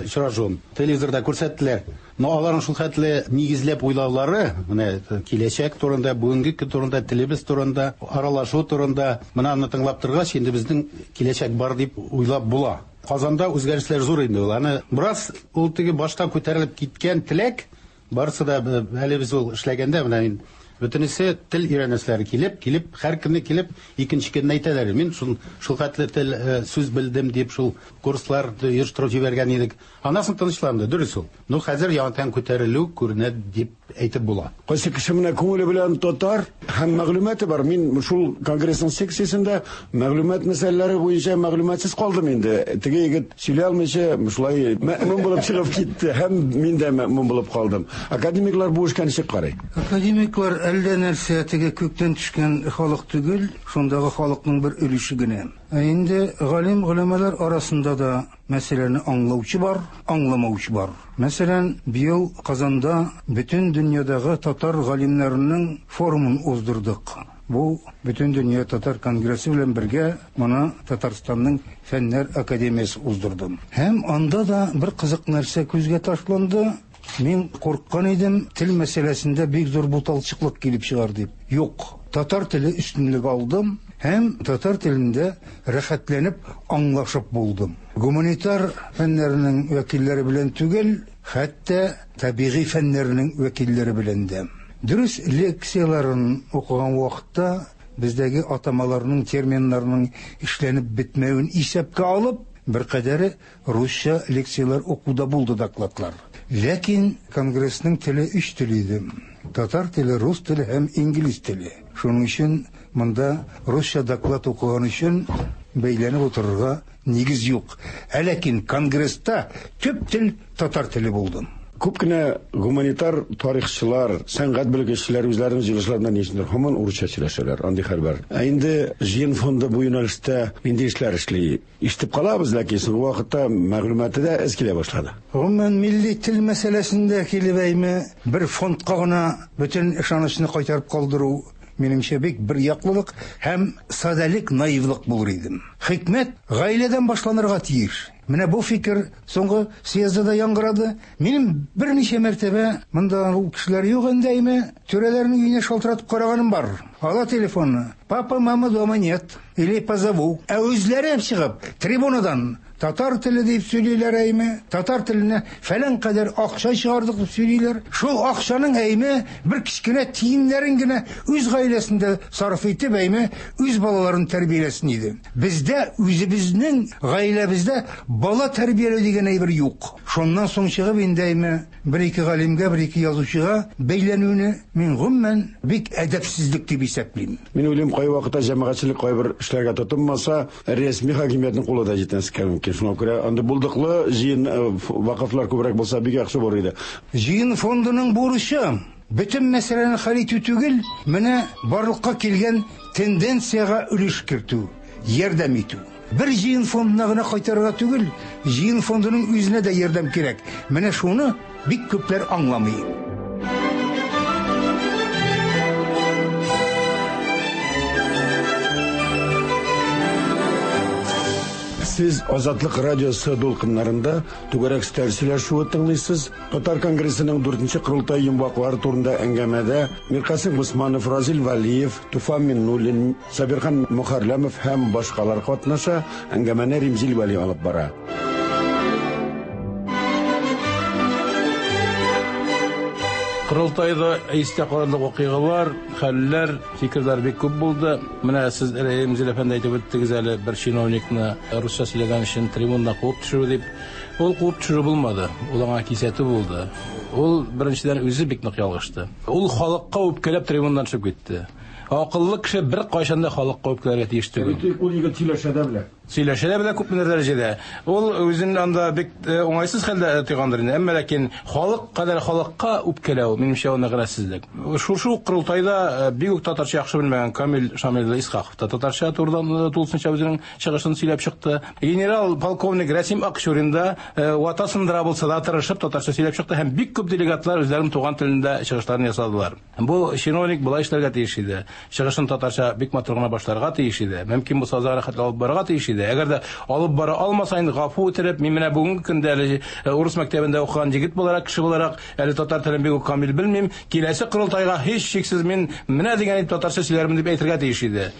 очрашуын телевизорда күрсәттеләр. Но аларның шул хәтле нигезләп уйлаулары, менә киләчәк турында, бүгенге көн турында, телебез турында, аралашу турында, менә аны тыңлап торгач, инде безнең киләчәк бар дип уйлап була. Казанда үзгәрешләр зур инде ул. Аны бераз ул теге башта күтәрелеп киткән теләк, барысы да әле без ул эшләгәндә менә мин бөтенесе тел өйрәнүчеләр килеп, килеп, һәр көнне килеп, икенче көнне әйтәләр. Мин шул шул хәтле тел сүз белдем дип шул курслар оештырып җибәргән идек. Аннан тынычланды, дөрес ул. Ну хәзер яңадан күтәрелү күренә дип әйтеп була. Кайсы кеше менә күңеле белән татар һәм мәгълүматы бар. Мин шул конгрессның секциясендә мәгълүмат мәсьәләләре буенча мәгълүматсыз калдым инде. Теге егет сөйли алмыйча шулай мәэмүн булып чыгып китте һәм мин дә мәэмүн булып калдым. Академиклар бу эшкә ничек карый? Академиклар әллә нәрсә теге күктән төшкән халык түгел, шундагы халыкның бер өлеше генә. Ә инде галим голәмәләр арасында да мәсьәләне аңлаучы бар, аңламаучы бар. Мәсәлән, быел Казанда бөтен дөньядагы татар галимнәренең форумын уздырдык. Бу бөтен дөнья татар конгрессы белән бергә моны Татарстанның Фәннәр академиясе уздырды. Һәм анда да бер кызык нәрсә күзгә ташланды. Мин курккан идем, тел мәсьәләсендә бик зур буталчыклык килеп чыгар дип. Юк, татар теле өстенлек алдым һәм татар телендә рәхәтләнеп аңлашып булдым. Гуманитар фәннәренең вәкилләре белән түгел, хәтта табигый фәннәренең вәкилләре белән дә. Дөрес, лекцияларын укыган вакытта бездәге атамаларның, терминнарның эшләнеп бетмәвен исәпкә алып, бер кадәре русча лекциялар укуда булды докладлар. Ләкин конгрессның теле өч тел иде. Татар теле, рус теле һәм инглиз теле. Шуның өчен монда русча доклад укыган өчен бәйләнеп утырырга нигез юк. Ә ләкин конгресста төп тел татар теле булды. Күп кенә гуманитар тарихчылар, сәнгать белгечләре үзләренең җыелышларында ни өчендер һаман урысча сөйләшәләр, андый хәл бар. Ә инде җыен фонды бу юнәлештә нинди эшләр эшли? Ишетеп калабыз, ләкин соңгы вакытта мәгълүматы да әз килә башлады. Гомумән, милли тел мәсьәләсендә килеп әйме бер фондка гына бөтен ышанычны кайтарып калдыру минемчә бик бер яклылык һәм садәлек, наивлык булыр иде. Хикмәт гаиләдән башланырга тиеш. Менә бу фикер соңгы съездда да яңгырады. Минем берничә мәртәбә монда ул кешеләр юк инде әйме, түрәләрнең өенә шалтыратып караганым бар. Ала телефонны. Папа, мама дома нет. Или позову. Ә үзләре чыгып трибунадан татар теле дип сөйлиләр әйме, татар теленә фәлән кадәр акча чыгардык дип сөйлиләр. Шул акчаның әйме бер кечкенә тиеннәрен генә үз гаиләсендә сарыф итеп әйме үз балаларын тәрбияләсен иде. Бездә үзебезнең гаиләбездә бала тәрбияләү дигән әйбер юк. Шуннан соң чыгып инде әйме бер-ике галимгә, бер-ике язучыга бәйләнүне мин гомумән бик әдәпсезлек дип исәплим. Мин уйлыйм, кайвакытта җәмәгатьчелек кайбер эшләргә тотынмаса, рәсми хакимиятнең кулы да җитмәскә мөмкин. Шуңа күрә анда булдыклы җыен вакыфлар күбрәк булса бик яхшы булыр иде. Җыен фондының бурычы бөтен мәсьәләне хәл итү түгел, менә барлыкка килгән тенденциягә өлеш кертү, ярдәм итү. Бер җыен фондына гына кайтарырга түгел, җыен фондының үзенә дә ярдәм кирәк. Менә шуны бик күпләр аңламый. Сез Азатлык радиосы дулкыннарында түгәрәк өстәл сөйләшүе тыңлыйсыз. Татар конгрессының дүртенче корылтай йомгаклары турында әңгәмәдә Миркасыйм Госманов, Разил Вәлиев, Туфан Миннуллин, Сабирхан Мөхәрләмов һәм башкалар катнаша. Әңгәмәне Римзил Вәли алып бара. Корылтайда истә калырлык вакыйгалар, хәлләр, фикерләр бик күп булды. Менә сез Ремзил әфәнде әйтеп үттегез әле, бер чиновникны русча сөйләгән өчен трибунада куып төшерү дип. Ул куып төшерү булмады, ул аңа кисәтү булды. Ул беренчедән үзе бик нык ялгышты. Ул халыкка үпкәләп трибуннан төшеп китте. Акыллы кеше бер кайчан да халыкка үпкәләргә тиеш түгел. Ул егет сөйләшә дә белә. Сөйләшә дә белә күпмедер дәрәҗәдә. Ул үзен анда бик уңайсыз хәлдә тойгандыр инде. Әмма ләкин халык кадәр халыкка үпкәләү, минемчә, ул мәгънәсезлек. Шушы ук корылтайда бик үк татарча яхшы белмәгән Камил Шамил Исхаков та татарча турыдан тулысынча үзенең чыгышын сөйләп чыкты. Генерал полковник Рәсим Акчурин да вата сындыра булса да тырышып татарча сөйләп чыкты һәм бик күп делегатлар үзләренең туган телендә чыгышларын ясадылар. Бу чиновник болай эшләргә тиеш иде. Чыгышын татарча бик матур гына башларга тиеш иде. Мөмкин булса азагына хәтле алып барырга тиеш иде. Әгәр дә алып бара алмаса, инде гафу үтереп, мин менә бүгенге көндә әле урыс мәктәбендә укыган егет буларак, кеше буларак, әле татар телен бик үк камил белмим. Киләсе корылтайга һич шиксез мин менә дигән итеп татарча сөйләрмен дип әйтергә тиеш иде.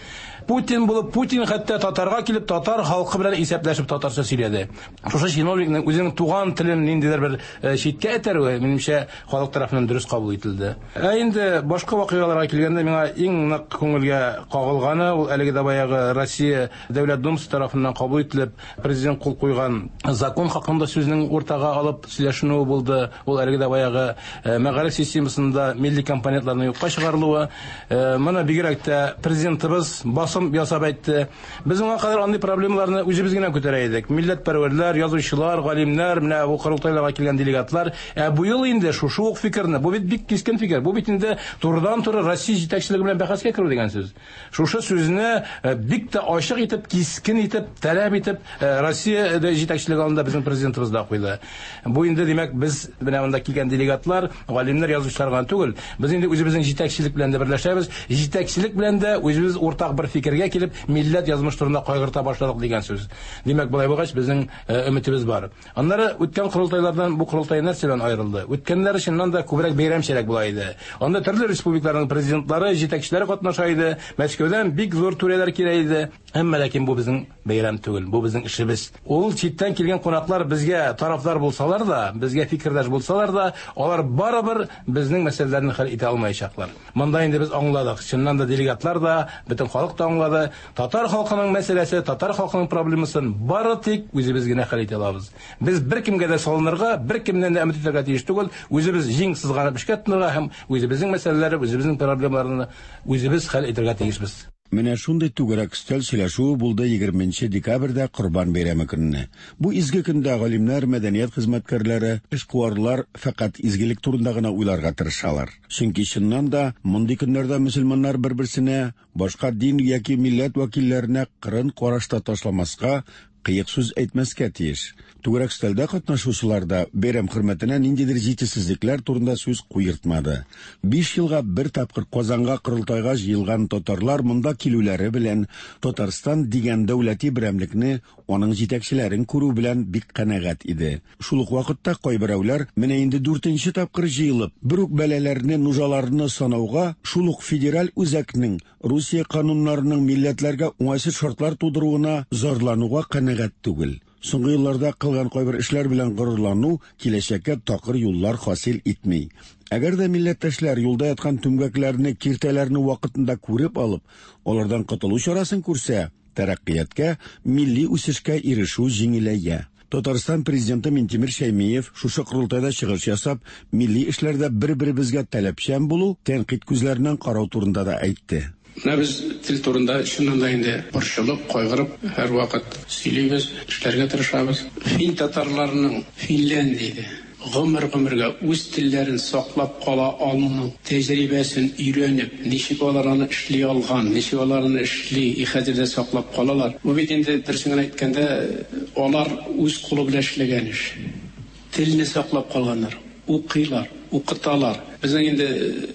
Путин булып, Путин хәтта татарга килеп, татар халкы белән исәпләшеп татарча сөйләде. Шушы чиновникның үзенең туган телен ниндидер бер читкә этәрүе, минемчә, халык тарафыннан дөрес кабул ителде. Ә инде башка вакыйгаларга килгәндә, миңа иң нык күңелгә кагылганы ул әлеге дә баягы Россия Дәүләт Думасы тарафыннан кабул ителеп, президент кул куйган закон хакында сүзнең уртага алып сөйләшенүе булды. Ул әлеге дә баягы мәгариф системасында милли компонентларның юкка чыгарылуы. Моны бигрәк тә президентыбыз басым ясап әйтте. Без моңа кадәр андый проблемаларны үзебез генә күтәрә идек. Милләтпәрвәрләр, язучылар, галимнәр, менә бу корылтайларга килгән делегатлар. Ә бу ел инде шушы ук фикерне, бу бит бик кискен фикер, бу бит инде турыдан-туры Россия җитәкчелеге белән бәхәскә керү дигән сүз. Шушы сүзне бик тә ачык итеп, кискен итеп, таләп итеп Россия җитәкчелеге алдында безнең президентыбыз да куйды. Бу инде, димәк, без менә монда килгән делегатлар, галимнәр, язучылар гына түгел, без инде үзебезнең җитәкчелек белән дә берләшәбез, җитәкчелек белән дә үзебез уртак бер фикергә килеп, милләт язмыш турында кайгырта башладык дигән сүз. Димәк, болай булгач, безнең өметебез бар. Аннары үткән корылтайлардан бу корылтай нәрсә белән аерылды? Үткәннәр чыннан да күбрәк бәйрәмчәрәк була иде. Анда төрле республикаларның президентлары, җитәкчеләре катнаша иде. Мәскәүдән бик зур түрәләр килә иде. Әмма ләкин бу безнең бәйрәм түгел, бу безнең эшебез. Ул читтән килгән кунаклар безгә тарафдар булсалар да, безгә фикердәш булсалар да, алар барыбер безнең мәсьәләләрне хәл итә алмаячаклар. Монда инде без аңладык, чыннан да делегатлар да, бөтен халык та аңлады. Татар халкының мәсьәләсе, татар халкының проблемасын бары тик үзебез генә хәл итә алабыз. Без беркемгә дә салынырга, беркемнән дә өмет итәргә тиеш түгел, үзебез җиң сызганып эшкә тотынырга һәм үзебезнең мәсьәләләрне, үзебезнең проблемаларны үзебез хәл итәргә тиешбез. Менә шундый түгәрәк өстәл сөйләшүе булды егерменче декабрьдә Корбан бәйрәме көнне. Бу изге көндә галимнәр, мәдәният хезмәткәрләре, эшкуарлар фәкать изгелек турында гына уйларга тырышалар. Чөнки чыннан да мондый көннәрдә мөселманнар бер-берсенә, башка дин яки милләт вәкилләренә кырын карашта ташламаска, кыек сүз әйтмәскә тиеш. Түгәрәк өстәлдә катнашучылар да бәйрәм хөрмәтенә ниндидер җитешсезлекләр турында сүз куертмады. Биш елга бер тапкыр Казанга корылтайга җыелган татарлар монда килүләре белән Татарстан дигән дәүләти берәмлекне, аның җитәкчеләрен күрү белән бик канәгать иде. Шул ук вакытта кайберәүләр менә инде дүртенче тапкыр җыелып, бер үк бәлаләрне, нужаларны санауга, шул ук федераль үзәкнең Русия кануннарының милләтләргә уңайсыз шартлар тудыруына зарлануга канәгать түгел. Соңгы елларда кылган кайбер эшләр белән горурлану киләчәккә такыр юллар хасил итми. Әгәр дә милләттәшләр юлда яткан түмгәкләрне, киртәләрне вакытында күреп алып, алардан котылу чарасын күрсә, тәрәккыятькә, милли үсешкә ирешү җиңеләя. Татарстан президенты Минтимер Шәймиев шушы корылтайда чыгыш ясап, милли эшләрдә бер-беребезгә таләпчән булу, тәнкыйть күзләреннән карау турында да әйтте. Менә без тел турында чыннан да инде борчылып, кайгырып һәр вакыт сөйлибез, эшләргә тырышабыз. Фин татарларының Финляндиядә гомер-гомергә үз телләрен саклап кала алуның тәҗрибәсен өйрәнеп, ничек алар аны эшли алган, ничек алар аны эшли, хәзер дә саклап калалар. Бу бит инде дөресен генә әйткәндә, алар үз кулы белән эшләгән эш. Телне саклап калганнар, укыйлар, укыталар. Безнең инде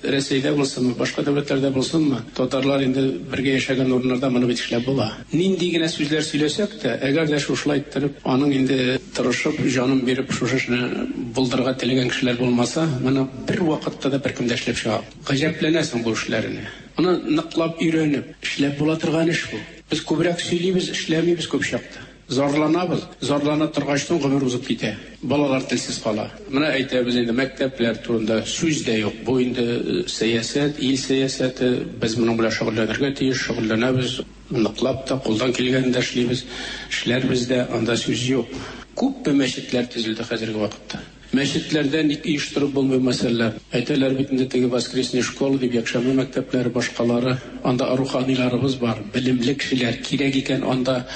Рәсәйдә булсынмы, башка дәүләтләрдә булсынмы, татарлар инде бергә яшәгән урыннарда моны бит эшләп була. Нинди генә сүзләр сөйләсәк тә, әгәр дә шушылай иттереп, аның инде тырышып, җанын биреп шушы эшне булдырырга теләгән кешеләр булмаса, моны бер вакытта да беркем дә эшләп чыга. Гаҗәпләнәсең бу эшләренә. Моны ныклап өйрәнеп, эшләп була торган эш бу. Без күбрәк сөйлибез, эшләмибез күп чакта. Зарланабыз. Зарлана торгачтан гомер узып китә. Балалар телсез кала. Менә әйтәбез инде мәктәпләр турында сүз дә юк. Бу инде сәясәт, ил сәясәте. Без моның белән шөгыльләнергә тиеш, шөгыльләнәбез. Ныклап та кулдан килгәнен дә эшлибез. Эшләрбез дә, анда сүз юк. Күпме мәчетләр төзелде хәзерге вакытта. Мәчетләрдә ник оештырып булмый мәсьәләләр. Әйтәләр бит инде теге воскресный школа дип, якшәмбе мәктәпләре, башкалары. Анда руханиларыбыз бар, белемле кешеләр кирәк икән, анда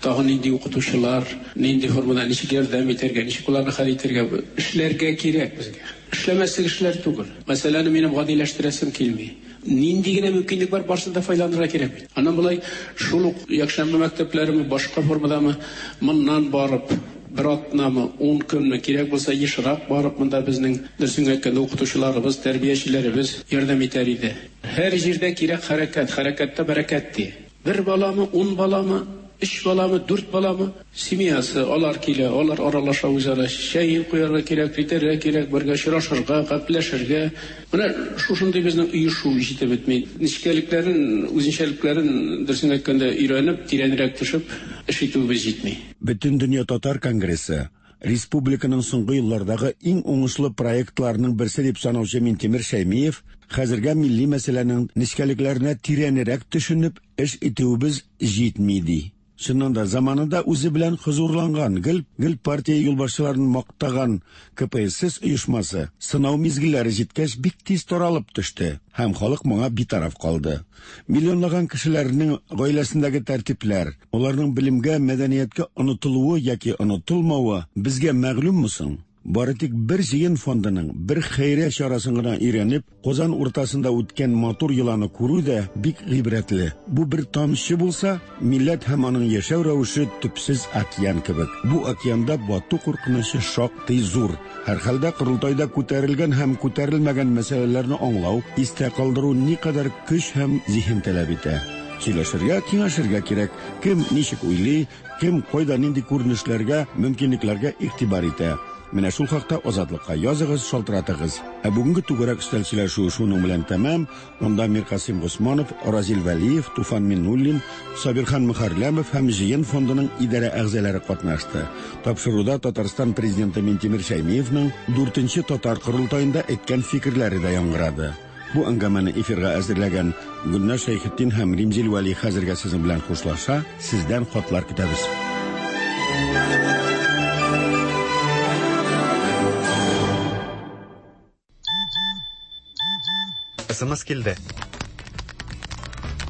тагын нинди укытучылар, нинди формада ничек ярдәм итәргә, ничек уларны хәл итәргә, эшләргә кирәк безгә. Эшләмәслек эшләр түгел. Мәсьәләне минем гадиләштерәсем килми. Нинди генә мөмкинлек бар, барысын да файдаланырга кирәк бит. Аннан болай шул ук якшәмбе мәктәпләреме, башка формадамы, моннан барып бер атнамы, ун көнме, кирәк булса ешрак барып монда безнең дөресен әйткәндә укытучыларыбыз, тәрбиячеләребез ярдәм итәр иде. Һәр җирдә кирәк хәрәкәт, хәрәкәттә бәрәкәт ди. Бер баламы, ун баламы, өч баламы, дүрт баламы, семьясы, алар килә, алар аралаша үзара, чәй куярга кирәк, итәргә кирәк, бергә очрашырга, гәпләшергә. Менә шушындый безнең оешу җитеп бетми. Нечкәлекләрен, үзенчәлекләрен дөресен әйткәндә өйрәнеп, тирәнрәк төшеп эш итүебез җитми. Бөтендөнья татар конгрессы республиканың соңгы еллардагы иң уңышлы проектларының берсе дип санаучы Минтимер Шәймиев хәзергә милли мәсьәләнең нечкәлекләренә тирәнрәк төшенеп эш итүебез җитми ди. Чыннан да заманында үзе белән хозурланган, гел гел партия юлбашчыларын мактаган К П С С оешмасы сынау мизгелләре җиткәч бик тиз таралып төште һәм халык моңа битараф калды. Миллионлаган кешеләрнең гаиләсендәге тәртипләр, аларның белемгә, мәдәнияткә онытылуы яки онытылмавы безгә мәгълүмме соң? Бары тик бер җыен фондының бер хәйрия чарасын гына өйрәнеп, Казан уртасында үткән матур йоланы күрү дә бик гыйбрәтле. Бу бер тамчы булса, милләт һәм аның яшәү рәвеше төпсез океан кебек. Бу океанда бату куркынычы шактый зур. Һәрхәлдә корылтайда күтәрелгән һәм күтәрелмәгән мәсьәләләрне аңлау, истә калдыру никадәр көч һәм зиһен таләп итә. Сөйләшергә, киңәшергә кирәк. Кем ничек уйлый, кем кайда нинди күренешләргә, мөмкинлекләргә игътибар итә. Менә шул хакта Азатлыкка языгыз, шалтыратыгыз. Ә бүгенге түгәрәк өстәл сөйләшүе шуның белән тәмам. Монда Миркасим Госманов, Разил Вәлиев, Туфан Миннуллин, Сабирхан Мөхәрләмов һәм Җыен фондының идарә әгъзалары катнашты. Тапшыруда Татарстан президенты Минтимер Шәймиевның дүртенче татар корылтаенда әйткән фикерләре дә яңгырады. Бу әңгәмәне эфирга әзерләгән Гөлназ Шәйхетдин һәм Римзил Вәли хәзергә сезнең белән хушлаша. Сездән хатлар көтәбез. Эс Эм Эс килде.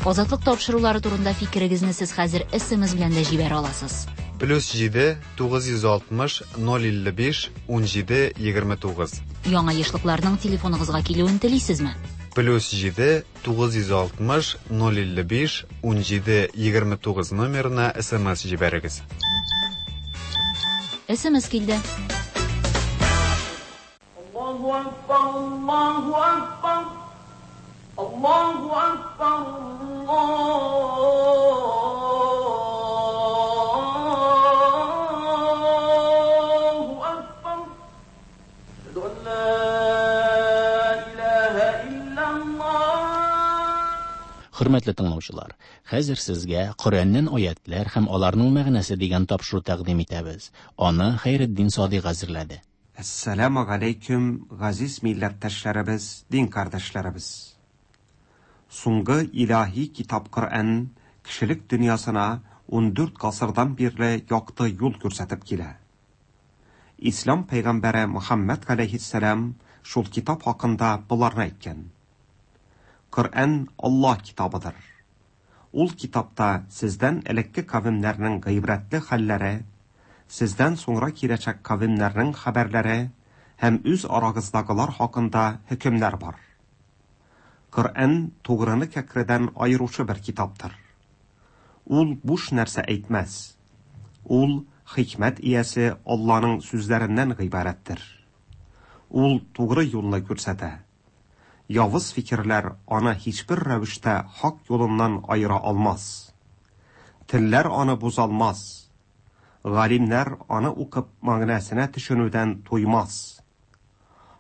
Азатлык тапшырулары турында фикерегезне сез хәзер Эс Эм Эс белән дә җибәрә аласыз. Плюс җиде, тугыз йөз алтмыш, ноль илле биш, ун җиде, егерме тугыз. Яңа ешлыкларның телефоныгызга килүен телисезме? Плюс җиде, тугыз йөз алтмыш, ноль илле биш, ун җиде, егерме тугыз номерына Эс Эм Эс җибәрегез. Эс Эм Эс килде. Аллаһу акбар, Аллаһу акбар. Аллаһу акбар, Аллаһу акбар. Әшһәду ан ла илаһа иллаллаһ. Хөрмәтле тыңлаучылар, хәзер сезгә Коръәннән аятлар һәм аларның мәгънәсе дигән тапшыру тәкъдим итәбез. Аны Хәйретдин Садыйк әзерләде. Әссәламу алейкум, газиз милләттәшләребез, дин кардәшләребез. Соңгы илаһи китап Коръән кешелек дөньясына ун дүрт гасырдан бирле якты юл күрсәтеп килә. Ислам пәйгамбәре Мухаммад галәйһиссәлам шул китап хакында боларны әйткән. Коръән Аллаһ китабыдыр. Ул китапта сездән элекке кавемнәрнең гыйбрәтле хәлләре, сездән соңра киләчәк кавемнәрнең хәбәрләре һәм үз арагыздагылар хакында хөкемнәр бар. Коръән тугрыны кәкредән аеручы бер китаптыр. Ул буш нәрсә әйтмәс. Ул хикмәт иясе Алланың сүзләреннән гыйбарәттер. Ул тугры юлны күрсәтә. Явыз фикерләр аны һичбер рәвештә хак юлыннан аера алмас. Телләр аны бозалмас. Галимнәр аны укып мәгънәсенә төшенүдән туймас.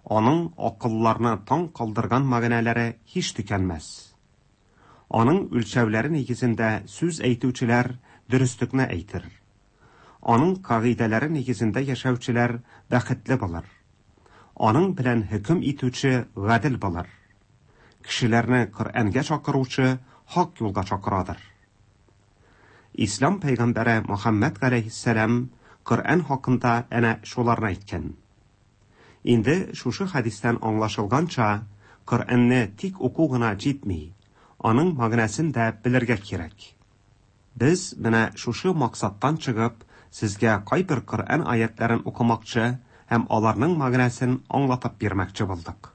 Аның акылларны таң калдырган мәгънәләре һич төкәнмәс. Аның үлчәүләре нигезендә сүз әйтүчеләр дөреслекне әйтер. Аның кагыйдәләре нигезендә яшәүчеләр бәхетле булыр. Аның белән хөкем итүче гадел булыр. Кешеләрне Коръәнгә чакыручы хак юлга чакырадыр. Ислам пәйгамбәре Мөхәммәд галәйһиссәлам Коръән хакында әнә шуларны әйткән. Инде шушы хәдистән аңлашылганча, Коръәнне тик уку гына җитми, аның мәгънәсен дә белергә кирәк. Без менә шушы максаттан чыгып, сезгә кайбер Коръән аятларын укымакчы һәм аларның мәгънәсен аңлатып бирмәкче булдык.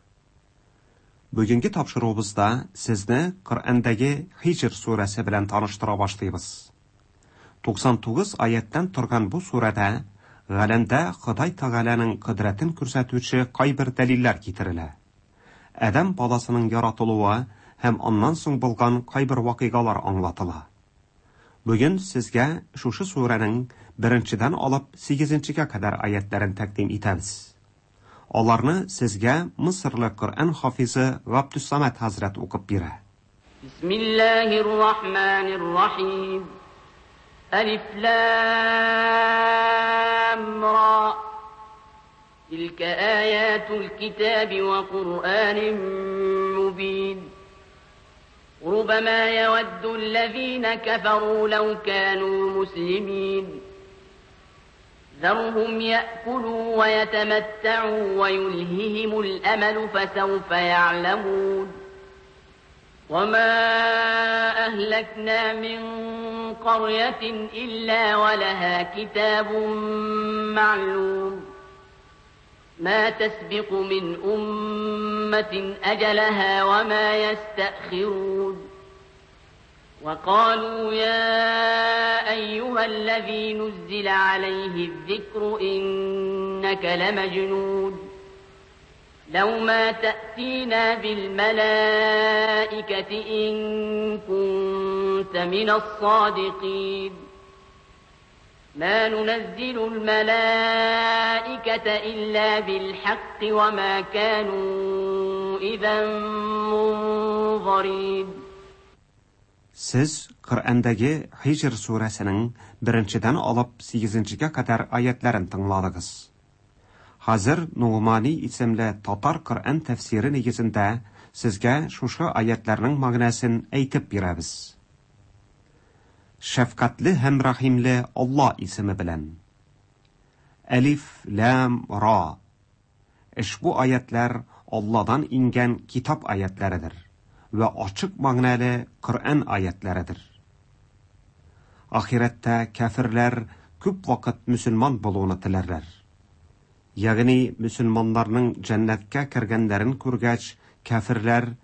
Бүгенге тапшыруыбызда сезне Коръәндәге Хиҗр сүрәсе белән таныштыра башлыйбыз. туксан тугыз аяттан торган бу сүрәдә галәмдә Ходай Тәгаләнең кодрәтен күрсәтүче кайбер дәлилләр китерелә. Адәм баласының яратылуы һәм аннан соң булган кайбер вакыйгалар аңлатыла. Бүген сезгә шушы сүрәнең беренчедән алып сигезенчегә кадәр аятларын тәкъдим итәбез. Аларны сезгә Мисырлы Коръән хафизы Габдусамат хәзрәт укып бирә. Бисмиллаһир-рахманир-рахим. Алиф лам ра. Тилка аятул китаби ва Куръанин мубин. ربما يود الذين كفروا لو كانوا مسلمين. ذرهم يأكلوا ويتمتعوا ويلههم الأمل فسوف يعلمون. وما أهلكنا من قرية إلا ولها كتاب معلوم. ما تسبق من أمة أجلها وما يستأخرون. وقالوا يا أيها الذي نزل عليه الذكر إنك لمجنون. لو ما تأتينا بالملائكة إن كنت من الصادقين. ما ننزل الملائكة إلا بالحق وما كانوا إذا منظرين. Сез Коръәндәге Хиҗр сүрәсенең беренчедән алып сигезенчегә кадәр аятларын тыңладыгыз. Хәзер Нугмани исемле татар Коръән тәфсире нигезендә сезгә шушы аятларның мәгънәсен әйтеп бирәбез. Шәфкатьле һәм рәхимле Алла исеме белән. Әлиф, Лам, Ра. Ошбу аятлар Алладан ингән китап аятларыдыр вә ачык мәгънәле Коръән аятларыдыр. Ахирәттә кафирләр күп вакыт мөселман булуны теләрләр. Ягъни мөселманнарның җәннәткә кергәннәрен күргәч, кафирләр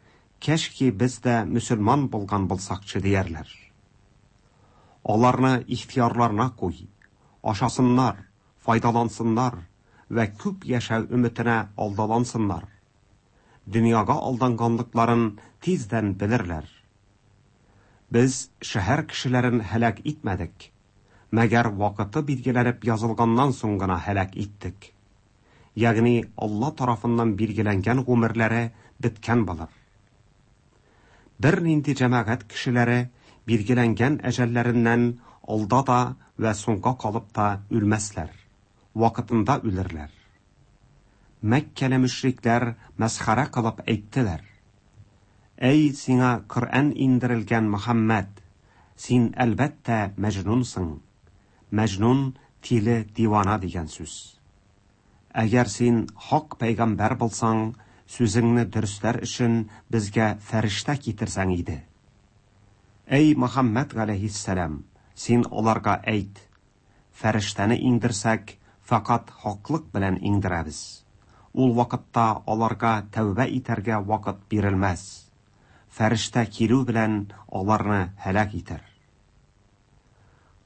кәшки без дә мөселман булган булсакчы диярләр. Аларны ихтыярларына куй, ашасыннар, файдалансыннар вә күп яшәү өметенә алдалансыннар. Дөньяга алданганлыкларын тиздән белерләр. Без шәһәр кешеләрен һәлак итмәдек, мәгәр вакыты билгеләнеп язылганнан соң гына һәлак иттек. Ягъни Алла тарафыннан билгеләнгән гомерләре беткән булыр. Бер нинди җәмәгать кешеләре билгеләнгән әҗәлләреннән алда да вә соңга калып та үлмәсләр, вакытында үлерләр. Мәккәле мөшрикләр мәсхәрә кылып әйттеләр: Әй сиңа Коръән индерелгән Мөхәммәд, син әлбәттә мәҗнунсың. Мәҗнун тиле дивана дигән сүз. Әгәр син хак пәйгамбәр булсаң, сүзеңне дөресләр өчен безгә фәрештә китерсәң иде. Әй Мөхәммәд галәйһиссәлам, син аларга әйт: фәрештәне иңдерсәк, фақат хаклык белән иңдерәбез. Ул вакытта аларга тәүбә итәргә вакыт бирелмәс. Фәрештә килү белән аларны һәлак итәр.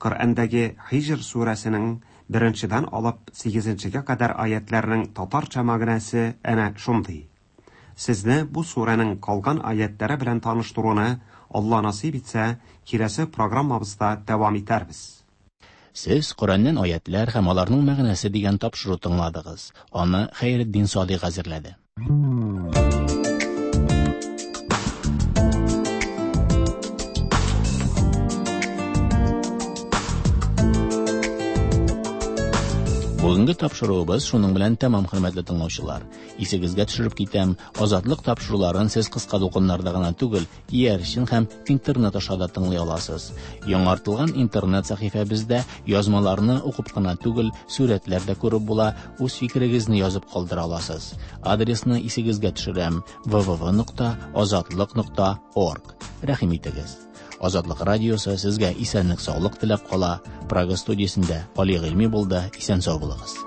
Коръәндәге Хиҗр сүрәсенең беренчедән алып сигезенчегә кадәр аятларның татарча мәгънәсе әнә шундый. Сезне бу сүрәнең калган аятлары белән таныштыруны Алла насыйп итсә, киләсе программабызда дәвам итәрбез. Сез Коръәннән аятлар һәм аларның мәгънәсе дигән тапшыру тыңладыгыз. Аны Хәйретдин Садыйк әзерләде. Бүгенге тапшыруыбыз шуның белән тәмам, хөрмәтле тыңлаучылар. Исегезгә төшереп китәм, Азатлык тапшыруларын сез кыска дулкыннарда гына түгел, иярчен һәм интернет аша да тыңлый аласыз. Яңартылган интернет сәхифәбездә язмаларны укып кына түгел, сурәтләр дә күреп була, үз фикерегезне язып калдыра аласыз. Адресны исегезгә төшерәм: www.azatliq.org. Рәхим итегез. Азатлык радиосы сезгә исәнлек-саулык теләп кала. Прага студиясендә Али Гыйльми булды. Исән сау булыгыз.